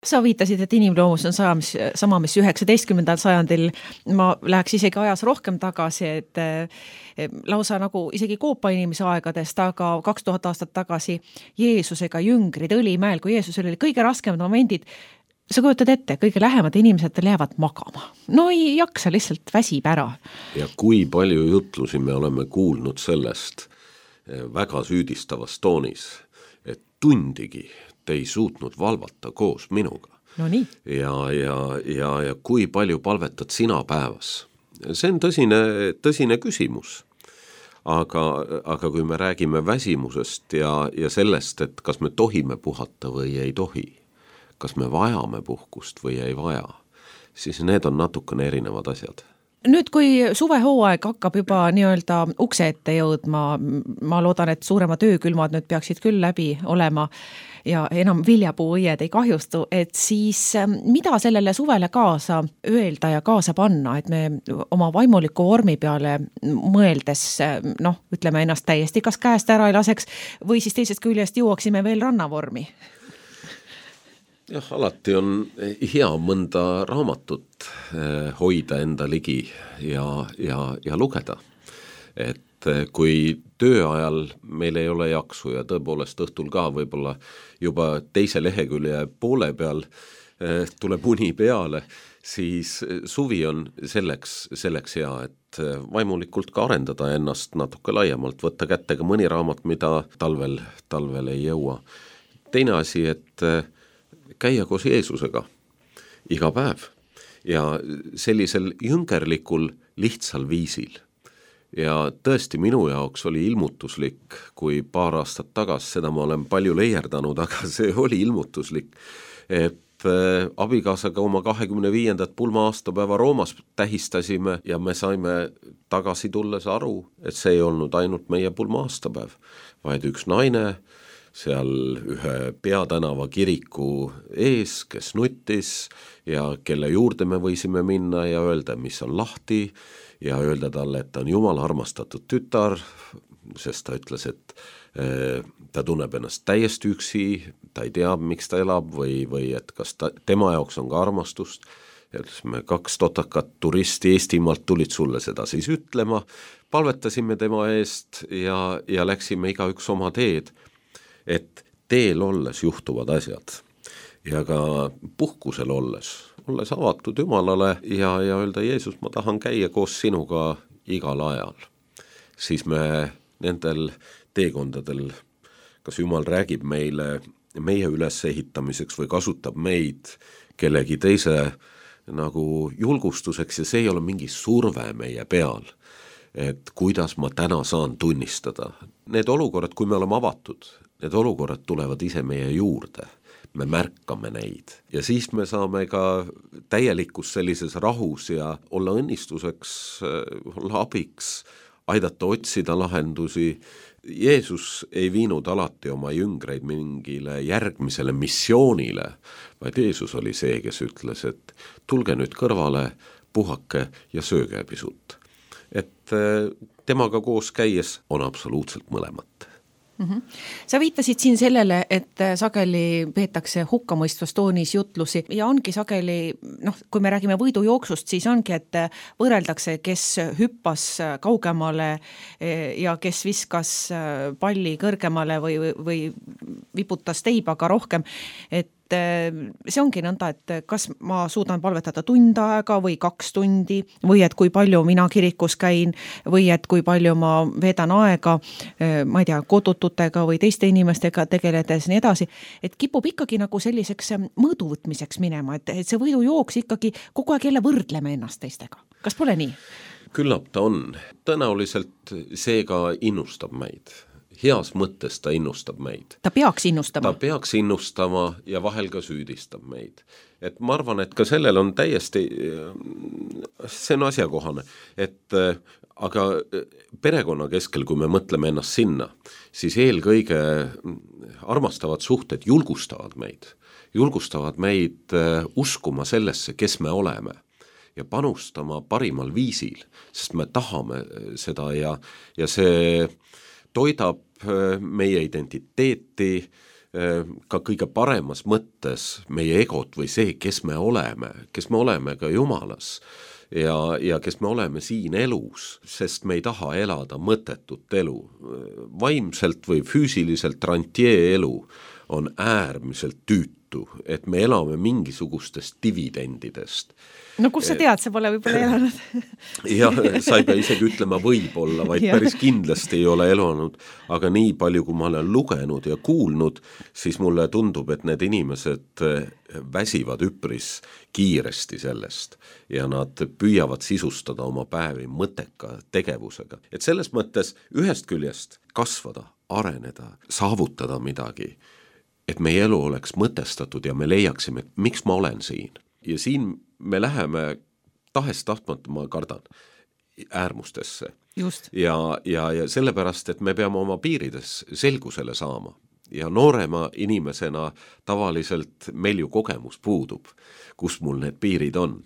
Sa viitasid, et inimloomus on sama, mis 19. sajandil. Ma läheks isegi ajas rohkem tagasi, et lausa nagu isegi koopa inimese aegadest, aga 2000 aastat tagasi Jeesusega jüngrid Õlimäel, kui Jeesusel oli kõige raskemad momendid, sa kujutad ette, kõige lähemad inimesed jäävad magama. No ei jaksa, lihtsalt väsib ära. Ja kui palju jutlusi me oleme kuulnud sellest väga süüdistavas toonis, et tundigi te ei suutnud valvata koos minuga. No nii. Ja kui palju palvetad sina päevas? See on tõsine küsimus. Aga kui me räägime väsimusest ja sellest, et kas me tohime puhata või ei tohi, kas me vajame puhkust või ei vaja, siis need on natukene erinevad asjad. Nüüd, kui suvehooaeg hakkab juba nii-öelda ukse ette jõudma, ma loodan, et suurema töökülmad nüüd peaksid küll läbi olema ja enam viljapuuõied ei kahjustu, et siis mida sellele suvele kaasa öelda ja kaasa panna, et me oma vaimuliku vormi peale mõeldes, ütleme ennast täiesti kas käest ära ei laseks või siis teisest küljest jõuaksime veel rannavormi? Jah, alati on hea mõnda raamatut hoida enda ligi ja lugeda. Et kui tööajal meil ei ole jaksu ja tõepoolest õhtul ka võib-olla juba teise lehekülje poole peal tuleb uni peale, siis suvi on selleks hea, et vaimulikult ka arendada ennast natuke laiemalt, võtta kätte ka mõni raamat, mida talvel ei jõua. Teine asi, et käia koos Jeesusega iga päev ja sellisel jüngerlikul lihtsal viisil. Ja tõesti minu jaoks oli ilmutuslik, kui paar aastat tagasi, seda ma olen palju leierdanud, aga see oli ilmutuslik, et abikaasaga oma 25. pulma aastapäeva Roomas tähistasime ja me saime tagasi tulles aru, et see ei olnud ainult meie pulma aastapäev, vaid üks naine seal ühe peatänava kiriku ees, kes nuttis ja kelle juurde me võisime minna ja öelda, mis on lahti ja öelda talle, et ta on Jumala armastatud tütar, sest ta ütles, et ta tunneb ennast täiesti üksi, ta ei tea, miks ta elab või et kas tema jaoks on ka armastust. Ja me 2 totakat turisti Eestimaalt tulid sulle seda siis ütlema, palvetasime tema eest ja läksime igaüks oma teed, et teel olles juhtuvad asjad ja ka puhkusel olles avatud Jumalale ja öelda, Jeesus, ma tahan käia koos sinuga igal ajal. Siis me nendel teekondadel, kas Jumal räägib meile meie ülesehitamiseks või kasutab meid kellegi teise nagu julgustuseks ja see ei ole mingi surve meie peal, et kuidas ma täna saan tunnistada. Need olukorrad, kui me oleme avatud, need olukorrad tulevad ise meie juurde, me märkame neid ja siis me saame ka täielikus sellises rahus ja olla õnnistuseks, olla abiks, aidata otsida lahendusi. Jeesus ei viinud alati oma jüngreid mingile järgmisele missioonile, vaid Jeesus oli see, kes ütles, et tulge nüüd kõrvale, puhake ja sööge pisut. Et temaga koos käies on absoluutselt mõlemat. Sa viitasid siin sellele, et sageli peetakse hukkamõistvas toonis jutlusi ja ongi sageli, kui me räägime võidujooksust, siis ongi, et võrreldakse, kes hüppas kaugemale ja kes viskas palli kõrgemale või viputas teibaga rohkem, et see ongi nõnda, et kas ma suudan palvetada tund aega või 2 tundi või et kui palju mina kirikus käin või et kui palju ma veedan aega, ma ei tea, kodututega või teiste inimestega tegeledes nii edasi, et kipub ikkagi nagu selliseks mõõduvõtmiseks minema, et see võidujooks ikkagi kogu aeg jälle võrdleme ennast teistega. Kas pole nii? Küllap ta on. Tõenäoliselt see ka innustab meid. Heas mõttes ta innustab meid. Ta peaks innustama. Ta peaks innustama ja vahel ka süüdistab meid. Et ma arvan, et ka sellel on täiesti, see on asjakohane, et aga perekonna keskel, kui me mõtleme ennast sinna, siis eelkõige armastavad suhted julgustavad meid uskuma sellesse, kes me oleme ja panustama parimal viisil, sest me tahame seda ja see toidab meie identiteeti ka kõige paremas mõttes meie egot või see, kes me oleme ka Jumalas ja kes me oleme siin elus, sest me ei taha elada mõttetut elu. Vaimselt või füüsiliselt rantjee elu on äärmiselt tüütu, et me elame mingisugustest dividendidest. No kus sa tead, sa pole võib-olla elanud? Jah, sa ei pea isegi ütlema võib-olla, vaid päris kindlasti ei ole elanud, aga nii palju, kui ma olen lugenud ja kuulnud, siis mulle tundub, et need inimesed väsivad üpris kiiresti sellest ja nad püüavad sisustada oma päevi mõtteka tegevusega. Et selles mõttes ühest küljest kasvada, areneda, saavutada midagi, et meie elu oleks mõtestatud ja me leiaksime, miks ma olen siin. Ja siin me läheme tahes-tahtmata, ma kardan, äärmustesse. Just. Ja sellepärast, et me peame oma piirides selgusele saama. Ja noorema inimesena tavaliselt meil ju kogemus puudub, kus mul need piirid on.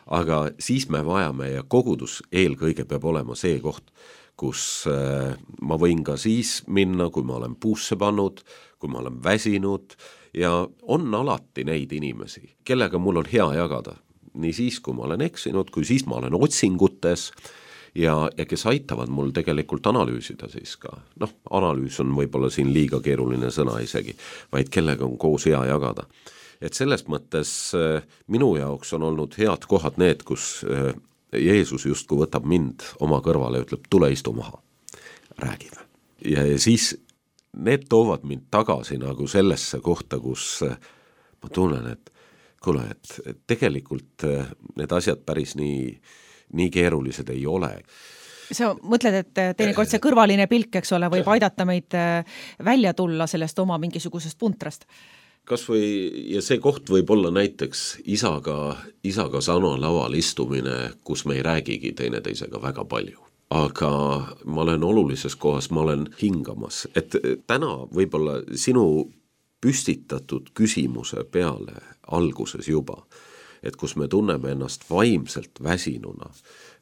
Aga siis me vajame ja kogudus eelkõige peab olema see koht, kus ma võin ka siis minna, kui ma olen puusse pannud, kui ma olen väsinud ja on alati neid inimesi, kellega mul on hea jagada. Nii siis, kui ma olen eksinud, kui siis ma olen otsingutes ja kes aitavad mul tegelikult analüüsida siis ka. Analüüs on võib-olla siin liiga keeruline sõna isegi, vaid kellega on koos hea jagada. Et selles mõttes minu jaoks on olnud head kohad need, kus Jeesus justkui võtab mind oma kõrvale ja ütleb, tule istu maha, räägime. Ja siis need toovad mind tagasi nagu sellesse kohta, kus ma tunnen, et kuule, et tegelikult need asjad päris nii keerulised ei ole. Sa mõtled, et teinekord see kõrvaline pilk, eks ole, võib aidata meid välja tulla sellest oma mingisugusest puntrast? Kas või, ja see koht võib olla näiteks isaga sana laval istumine, kus me ei räägigi teineteisega väga palju. Aga ma olen olulises kohas, ma olen hingamas. Et täna võib-olla sinu püstitatud küsimuse peale alguses juba, et kus me tunneme ennast vaimselt väsinuna,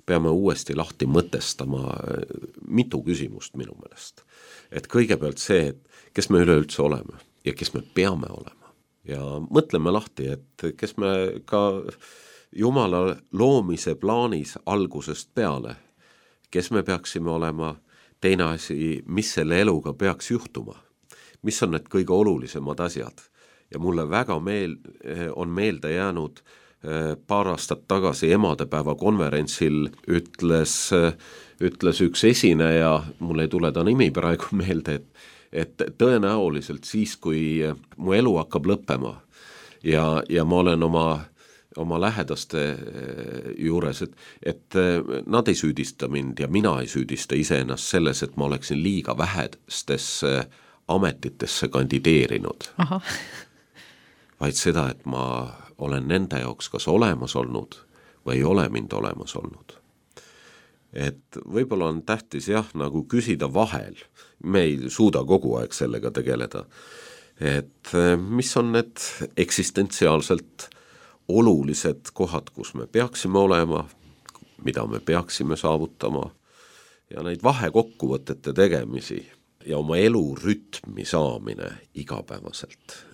peame uuesti lahti mõtestama mitu küsimust minu meelest. Et kõigepealt see, et kes me üleüldse oleme ja kes me peame olema. Ja mõtleme lahti, et kes me ka Jumala loomise plaanis algusest peale, kes me peaksime olema, teine asi, mis selle eluga peaks juhtuma. Mis on need kõige olulisemad asjad. Ja mulle väga on meelde jäänud paar aastat tagasi emadepäeva konverentsil ütles üks esineja, mul ei tule ta nimi praegu meelde, et tõenäoliselt siis, kui mu elu hakkab lõppema ja ma olen oma lähedaste juures, et nad ei süüdista mind ja mina ei süüdista iseennast selles, et ma oleksin liiga vähestesse ametitesse kandideerinud. Aha. Vaid seda, et ma olen nende jaoks kas olemas olnud või ei ole mind olemas olnud. Et võib-olla on tähtis nagu küsida vahel, me ei suuda kogu aeg sellega tegeleda, et mis on need eksistentsiaalselt olulised kohad, kus me peaksime olema, mida me peaksime saavutama ja neid vahekokkuvõtete tegemisi ja oma elu rütmi saamine igapäevaselt.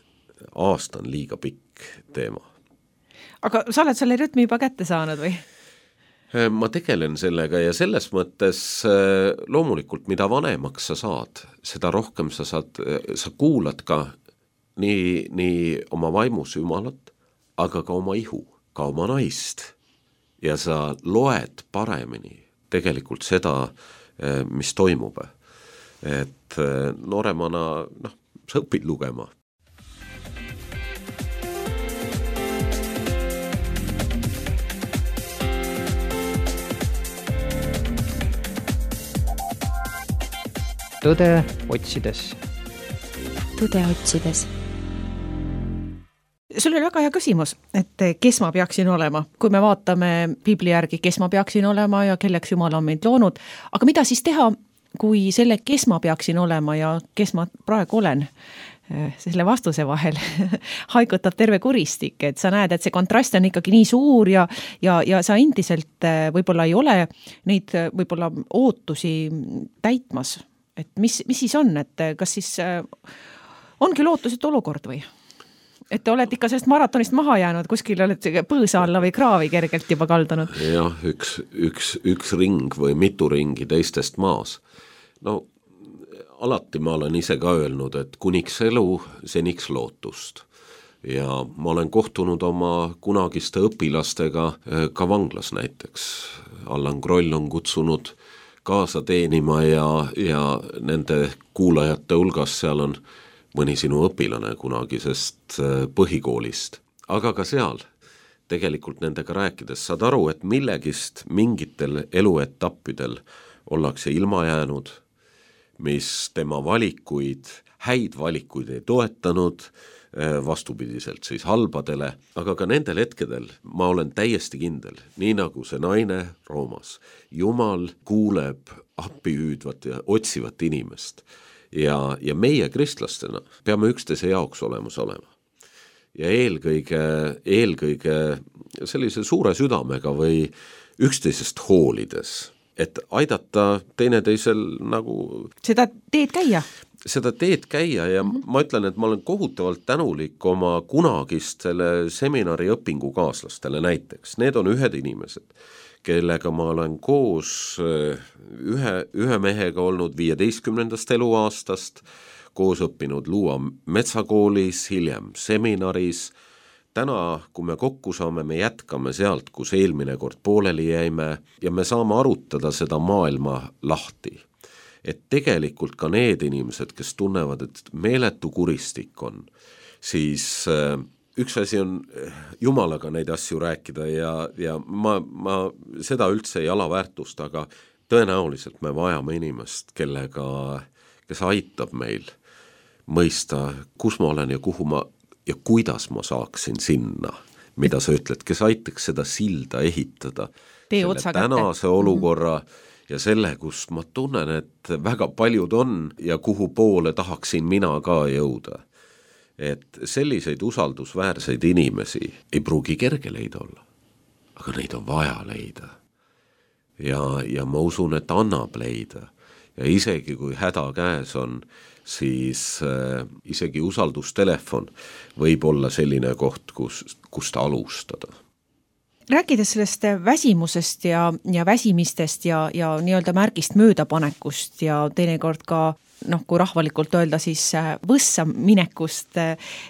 Aasta on liiga pikk teema. Aga sa oled selle rütmi juba kätte saanud või? Ma tegelen sellega ja selles mõttes loomulikult, mida vanemaks sa saad, seda rohkem sa kuulad ka nii oma vaimus Jumalat, aga ka oma ihu, ka oma naist. Ja sa loed paremini tegelikult seda, mis toimub. Et nooremana, sa õpid lugema. Tõde otsides. Tõde otsides. Sul oli väga hea küsimus, et kes ma peaksin olema, kui me vaatame Piibli järgi, kes ma peaksin olema ja kelleks Jumal on meid loonud. Aga mida siis teha, kui selle, kes ma peaksin olema ja kes ma praegu olen, selle vastuse vahel haigutab terve kuristik, et sa näed, et see kontrast on ikkagi nii suur ja sa endiselt võib-olla ei ole neid võib-olla ootusi täitmas. Et mis siis on, et kas siis ongi lootuset olukord või? Et te olete ikka sellest maratonist maha jäänud, kuskil olete põõsa alla või kraavi kergelt juba kaldunud? Jah, üks ring või mitu ringi teistest maas. Alati ma olen ise ka öelnud, et kuniks elu, seniks lootust. Ja ma olen kohtunud oma kunagiste õpilastega ka vanglas näiteks. Allan Kroll on kutsunud kaasa teenima ja nende kuulajate hulgas seal on mõni sinu õpilane kunagisest põhikoolist. Aga ka seal tegelikult nendega rääkides saad aru, et millegist mingitel eluetappidel ollakse ilma jäänud, mis tema valikuid, häid valikuid ei toetanud, vastupidiselt siis halbadele, aga ka nendel hetkedel ma olen täiesti kindel, nii nagu see naine Roomas. Jumal kuuleb appi hüüdvat ja otsivat inimest ja meie kristlastena peame üksteise jaoks olemas olema. Ja eelkõige sellise suure südamega või üksteisest hoolides, et aidata teineteisel nagu... Seda teed käia? seda teed käia ja ma ütlen, et ma olen kohutavalt tänulik oma kunagist selle seminari õpingukaaslastele näiteks. Need on ühed inimesed, kellega ma olen koos ühe mehega olnud 15. eluaastast, koos õppinud Luua metsakoolis, hiljem seminaris. Täna, kui me kokku saame, me jätkame sealt, kus eelmine kord pooleli jäime ja me saame arutada seda maailma lahti. Et tegelikult ka need inimesed, kes tunnevad, et meeletu kuristik on, siis üks asi on Jumalaga neid asju rääkida ja ma seda üldse ei alaväärtust, aga tõenäoliselt me vajame inimest, kes aitab meil mõista, kus ma olen ja kuhu ma ja kuidas ma saaksin sinna, mida sa ütled, kes aitaks seda silda ehitada, selle tänase olukorra ja selle, kus ma tunnen, et väga paljud on ja kuhu poole tahaksin mina ka jõuda. Et selliseid usaldusväärseid inimesi ei pruugi kerge leida olla, aga neid on vaja leida. Ja ma usun, et annab leida. Ja isegi kui häda käes on, siis isegi usaldustelefon võib olla selline koht, kus ta alustada. Rääkides sellest väsimusest ja väsimistest ja nii-öelda märgist möödapanekust ja teinekord ka, kui rahvalikult öelda, siis võssa minekust,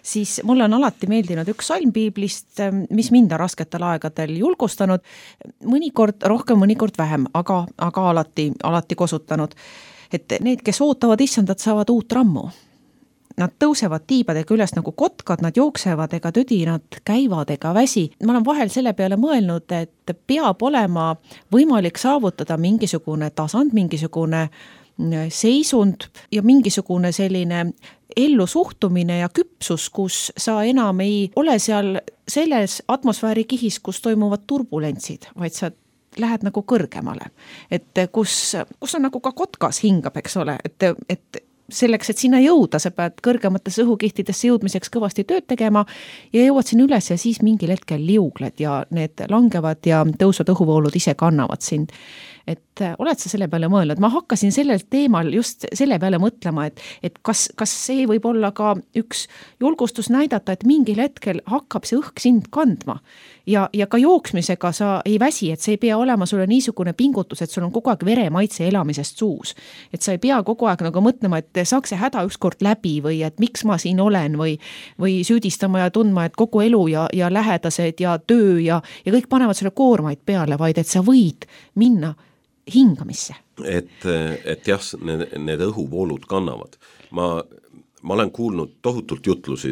siis mulle on alati meeldinud üks salm piiblist, mis mind on rasketel aegadel julgustanud, mõnikord rohkem, mõnikord vähem, aga alati kosutanud. Et need, kes ootavad issandat, saavad uut rammu. Nad tõusevad tiibadega üles nagu kotkad, nad jooksevad ega tüdi, nad käivad ega väsi. Ma olen vahel selle peale mõelnud, et peab olema võimalik saavutada mingisugune tasand, mingisugune seisund ja mingisugune selline ellu suhtumine ja küpsus, kus sa enam ei ole seal selles atmosfääri kihis, kus toimuvad turbulentsid, vaid sa lähed nagu kõrgemale, et kus on nagu ka kotkas hingab, eks ole, et selleks, et sinna jõuda, sa pead kõrgematesse õhukihtidesse jõudmiseks kõvasti tööd tegema ja jõuad sinna üles ja siis mingil hetkel liugled ja need langevad ja tõusvad õhuvoolud ise kannavad sind. Et oled sa selle peale mõelnud? Ma hakkasin sellel teemal just selle peale mõtlema, et kas see võib olla ka üks julgustus näidata, et mingil hetkel hakkab see õhk sind kandma ja ka jooksmisega sa ei väsi, et see ei pea olema sulle niisugune pingutus, et sul on kogu aeg veremaitse elamisest suus. Et sa ei pea kogu aeg nagu mõtlema, et saaks see häda ükskord läbi või et miks ma siin olen või süüdistama ja tundma, et kogu elu ja lähedased ja töö ja kõik panevad selle koormaid peale, vaid et sa võid minna hingamisse. Et jah, need õhuvoolud kannavad. Ma olen kuulnud tohutult jutlusi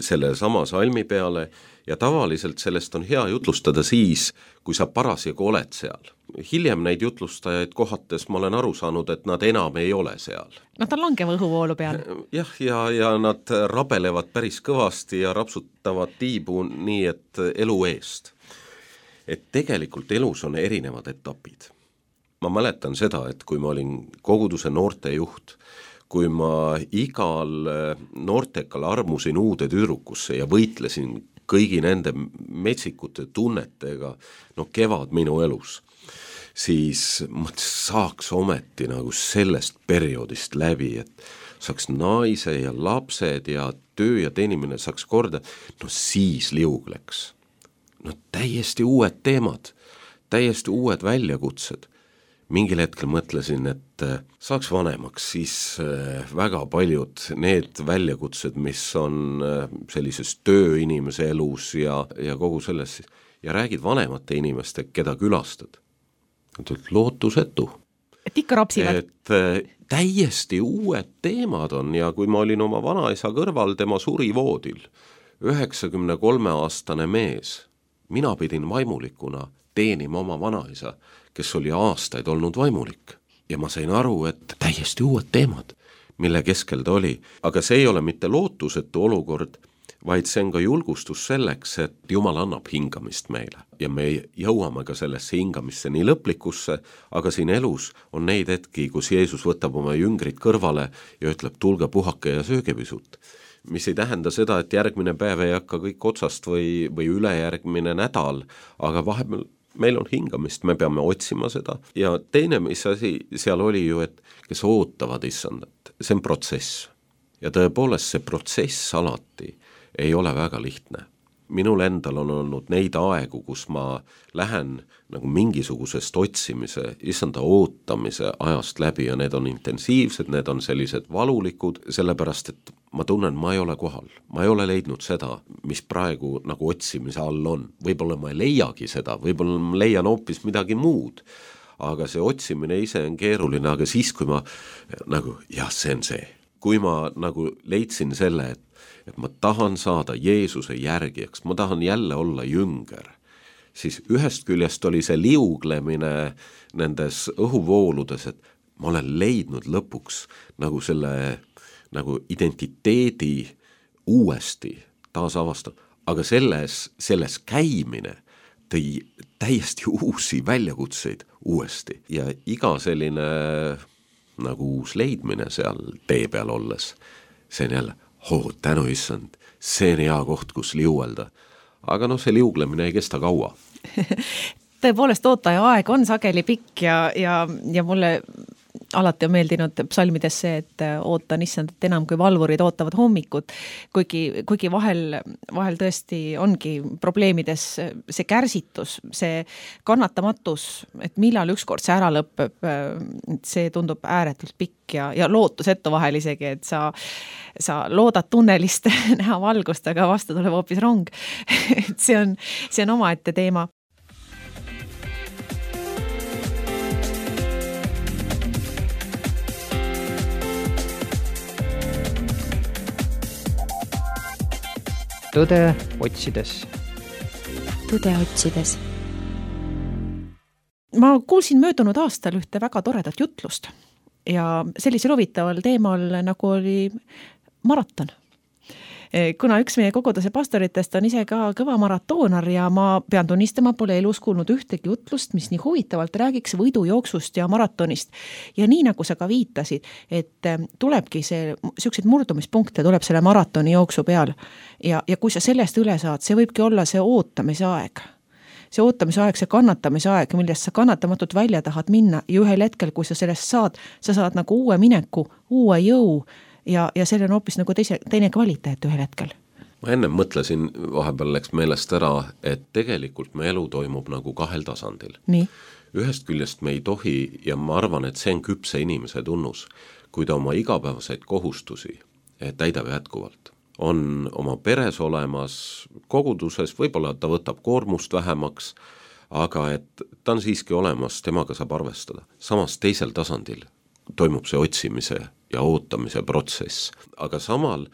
selle sama salmi peale ja tavaliselt sellest on hea jutlustada siis, kui sa parasjagu oled seal. Hiljem neid jutlustajaid kohates ma olen aru saanud, et nad enam ei ole seal. Nad on langeva õhuvoolu peal. Jah, ja nad rabelevad päris kõvasti ja rapsutavad tiibu nii, et elu eest. Et tegelikult elus on erinevad etapid. Ma mäletan seda, et kui ma olin koguduse noortejuht, kui ma igal noortekal armusin uude tüdrukusse ja võitlesin kõigi nende metsikute tunnetega, kevad minu elus, siis ma saaks ometi nagu sellest perioodist läbi, et saaks naise ja lapsed ja töö ja teenimine saaks korda, siis liugleks. Täiesti uued teemad, täiesti uued väljakutsed. Mingil hetkel mõtlesin, et saaks vanemaks, siis väga paljud need väljakutsed, mis on sellises tööinimese elus ja kogu selles, ja räägid vanemate inimeste, keda külastad. Lootusetu. Et ikka rapsivad. Et täiesti uued teemad on ja kui ma olin oma vanaisa kõrval, tema suri voodil, 93-aastane mees, mina pidin vaimulikuna teenima oma vanaisa, kes oli aastaid olnud vaimulik. Ja ma sain aru, et täiesti uued teemad, mille keskel ta oli. Aga see ei ole mitte lootusetu olukord, vaid see on ka julgustus selleks, et Jumal annab hingamist meile. Ja me jõuame ka sellesse hingamisse nii lõplikusse, aga siin elus on neid hetki, kus Jeesus võtab oma jüngrid kõrvale ja ütleb, tulge puhake ja sööge pisut. Mis ei tähenda seda, et järgmine päev ei hakka kõik otsast või ülejärgmine nädal, aga vahepeal meil on hingamist, me peame otsima seda ja teine, mis asi seal oli ju, et kes ootavad issandat, see on protsess ja tõepoolest see protsess alati ei ole väga lihtne. Minul endal on olnud neid aegu, kus ma lähen nagu mingisugusest otsimise, issanda ootamise ajast läbi ja need on intensiivsed, need on sellised valulikud, sellepärast et ma tunnen, ma ei ole kohal. Ma ei ole leidnud seda, mis praegu nagu otsimise all on. Võib-olla ma ei leiagi seda, võib-olla ma leian hoopis midagi muud. Aga see otsimine ise on keeruline, aga siis kui ma nagu, jah, see on see. Kui ma nagu leidsin selle, et ma tahan saada Jeesuse järgijaks, ma tahan jälle olla jünger, siis ühest küljest oli see liuglemine nendes õhuvooludes, et ma olen leidnud lõpuks nagu selle nagu identiteedi uuesti taasavastada, aga selles käimine tõi täiesti uusi väljakutseid uuesti ja iga selline nagu uus leidmine seal tee peal olles, see on jälle tänu issand, see on hea koht, kus liuelda. Aga see liuglemine ei kesta kaua. Tõepoolest, ootaja aeg on sageli pikk ja mulle alati on meeldinud psalmides see, et ootan issandat enam kui valvurid ootavad hommikut, kuigi vahel tõesti ongi probleemides see kärsitus, see kannatamatus, et millal ükskord see ära lõpeb, see tundub ääretult pikk ja lootusetu vahel isegi, et sa loodad tunnelist näha valgust, aga vastu tuleb hoopis rong. Et see on omaette teema. Tõde otsides. Tõde otsides. Ma kuulsin möödunud aastal ühte väga toredat jutlust ja sellisel huvitaval teemal nagu oli maraton. Kuna üks meie koguduse pastoritest on ise ka kõva maratoonar ja ma pean tunnistama, pole elus kuulnud ühtegi jutlust, mis nii huvitavalt räägiks võidujooksust ja maratonist. Ja nii nagu sa ka viitasid, et tulebki selliseid murdumispunkte tuleb selle maratoni jooksu peal ja kui sa sellest üle saad, see võibki olla see ootamise aeg. See ootamise aeg, see kannatamise aeg, millest sa kannatamatult välja tahad minna ja ühel hetkel, kui sa sellest saad, sa saad nagu uue mineku, uue jõu ja selle on hoopis nagu teine kvaliteet ühel hetkel. Ma enne mõtlesin, vahepeal läks meelest ära, et tegelikult me elu toimub nagu kahel tasandil. Nii. Ühest küljest me ei tohi, ja ma arvan, et see on küpse inimese tunnus, kui ta oma igapäevaseid kohustusi täidab jätkuvalt. On oma peres olemas, koguduses, võib-olla ta võtab koormust vähemaks, aga et ta on siiski olemas, temaga saab arvestada. Samas teisel tasandil toimub see otsimise ja ootamise protsess. Aga samal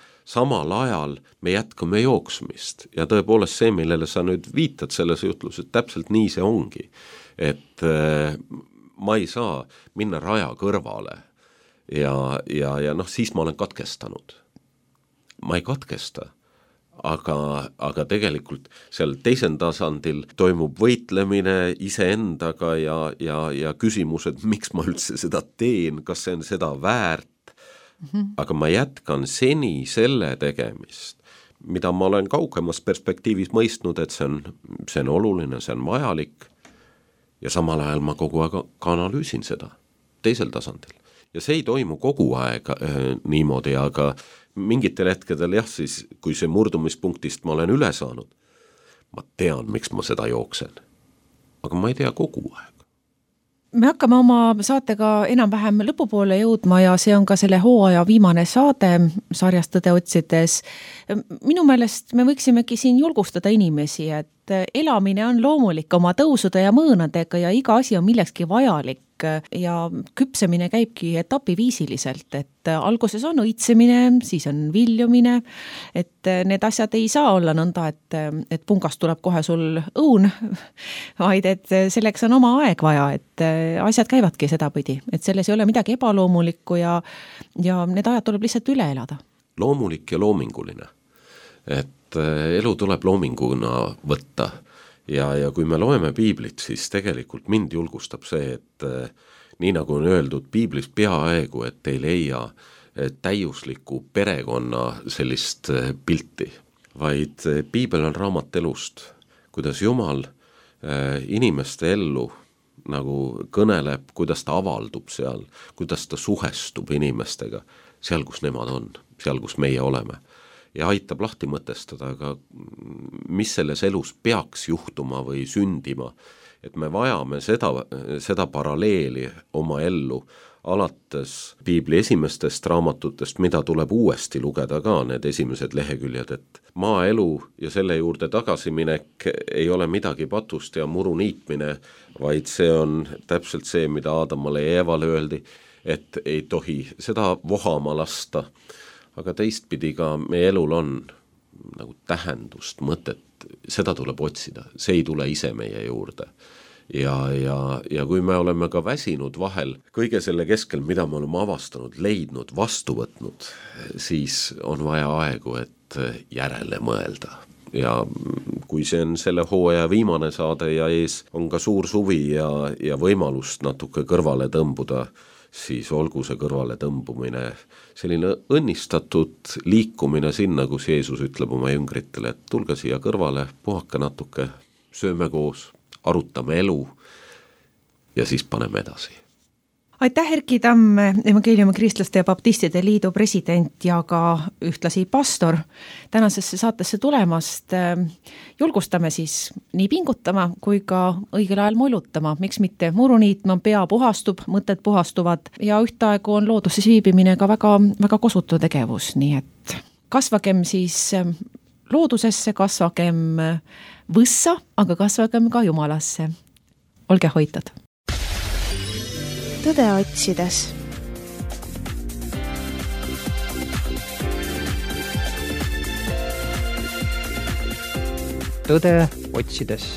ajal me jätkame jooksmist ja tõepoolest see, millele sa nüüd viitad selles jutluses, täpselt nii see ongi. Et ma ei saa minna raja kõrvale ja siis ma olen katkestanud. Ma ei katkesta, aga tegelikult seal teisel tasandil toimub võitlemine iseendaga ja küsimused, miks ma üldse seda teen, kas see on seda väärt. Aga ma jätkan seni selle tegemist, mida ma olen kaugemas perspektiivis mõistnud, et see on oluline, see on vajalik ja samal ajal ma kogu aeg ka analüüsin seda teisel tasandil. Ja see ei toimu kogu aeg niimoodi, aga mingitel hetkedel siis, kui see murdumispunktist ma olen üle saanud, ma tean, miks ma seda jooksen. Aga ma ei tea kogu aeg. Me hakkame oma saatega enam-vähem lõpupoole jõudma ja see on ka selle hooaja viimane saade sarjast Tõde otsides. Minu meelest me võiksimegi siin julgustada inimesi, et elamine on loomulik oma tõusude ja mõõnadega ja iga asi on millekski vajalik ja küpsemine käibki etapiviisiliselt, et alguses on õitsemine, siis on viljumine, et need asjad ei saa olla nõnda, et pungast tuleb kohe sul õun, vaid et selleks on oma aeg vaja, et asjad käivadki sedapidi, et selles ei ole midagi ebaloomulikku ja need ajad tuleb lihtsalt üle elada. Loomulik ja loominguline, et elu tuleb loominguna võtta. Ja kui me loeme piiblit, siis tegelikult mind julgustab see, et nii nagu on öeldud piiblis peaaegu, et ei leia täiusliku perekonna sellist pilti, vaid piibel on raamat elust, kuidas Jumal inimeste ellu nagu kõneleb, kuidas ta avaldub seal, kuidas ta suhestub inimestega, seal, kus nemad on, seal, kus meie oleme. Ja aitab lahti mõtestada, aga mis selles elus peaks juhtuma või sündima, et me vajame seda paralleeli oma ellu, alates piibli esimestest raamatutest, mida tuleb uuesti lugeda ka, need esimesed leheküljed, et maaelu ja selle juurde tagasiminek ei ole midagi patust ja muru niitmine, vaid see on täpselt see, mida Aadamale ja Eevale öeldi, et ei tohi seda vohama lasta, aga teistpidi ka meie elul on nagu tähendust, mõtet, seda tuleb otsida, see ei tule ise meie juurde. Ja kui me oleme ka väsinud vahel kõige selle keskel, mida me oleme avastanud, leidnud, vastu võtnud, siis on vaja aegu, et järele mõelda. Ja kui see on selle hooaja viimane saade ja ees on ka suur suvi ja võimalust natuke kõrvale tõmbuda, siis olgu see kõrvale tõmbumine selline õnnistatud liikumine sinna, kus Jeesus ütleb oma jüngritele, et tulge siia kõrvale, puhake natuke, sööme koos, arutame elu ja siis paneme edasi. Aitäh, Erki Tamm, Evangeeliumi Kristlaste ja Baptistide Liidu president ja ka ühtlasi pastor tänasesse saatesse tulemast. Julgustame siis nii pingutama kui ka õigel ajal mullutama, miks mitte muru niitma, pea puhastub, mõtted puhastuvad ja ühtaegu on looduses viibimine ka väga, väga kosutu tegevus, nii et kasvagem siis loodusesse, kasvagem võssa, aga kasvagem ka Jumalasse. Olge hoitud! Tõde otsides. Tõde otsides.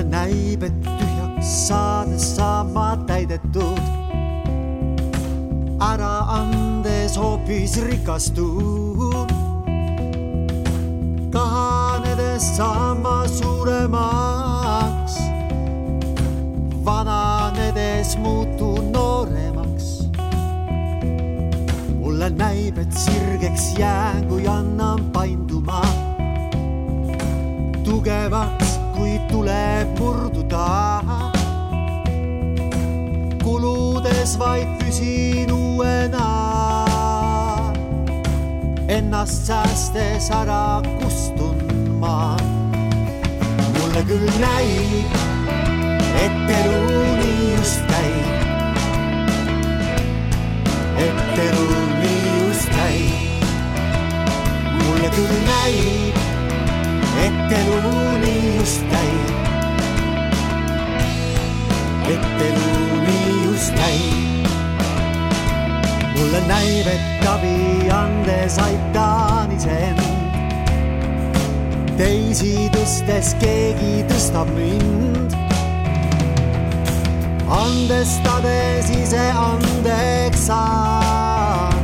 Näib, et tühjaks saades saama täidetud, ära andes hoopis rikastud. Kahanedes saama suuremaks, vananedes muutu nooremaks. Mulle näib, et sirgeks jään, kui annan painduma tugevaks, kui tuleb murduda. Kuludes vaid püsin uuena, ennast säästes ära kustun ma. Mulle küll näib, et elu nii just käib, et elu nii just käib. Mulle küll näib, et elu nii just käib, et elu nii just käib. Mulle näib, et abi andes aitan iseend, teisi tõstes keegi tõstab mind. Andestades ise andeks saan,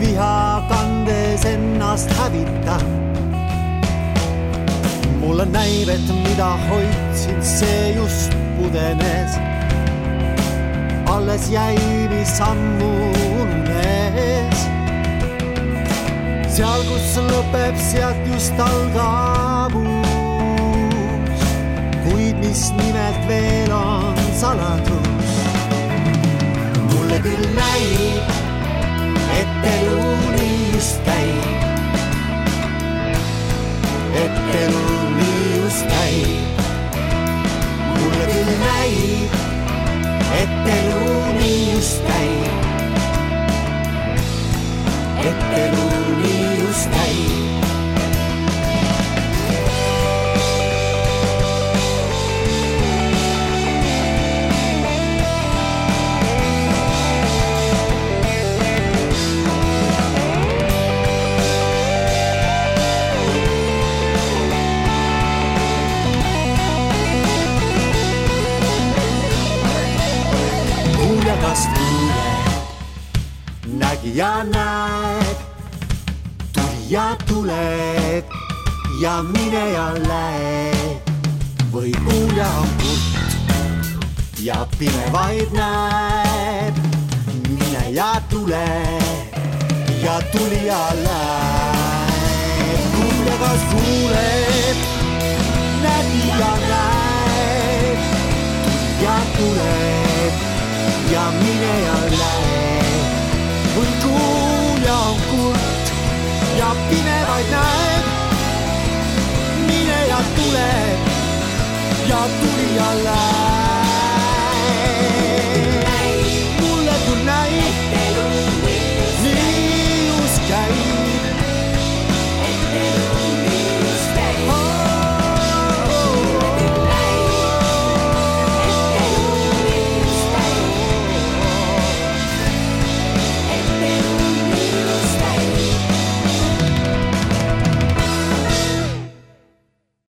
viha kandes ennast hävitan. Mulle näib, et mida hoidsin, see just pudenes. Alles jäi, mis ammu ununes. Seal, kus lõpeb, sealt just algab uus, kuid mis nimelt veel on saladus. Mulle küll näib, et elu nii just käib, et elu nii just käib. Mulle küll näib, et elu nii just käib, et elu nii just käib. ja näed, tulija tuleb ja mine ja lähed. Või kuulja on kurt ja pime vaid näeb, mine ja tule ja tulija läheb. Kuulja kas kuuleb, nägi ja näeb, tulija tuleb ja mine ja läheb. Või kuulja on kurt ja pime vaid näeb, mine ja tule ja tulija läheb.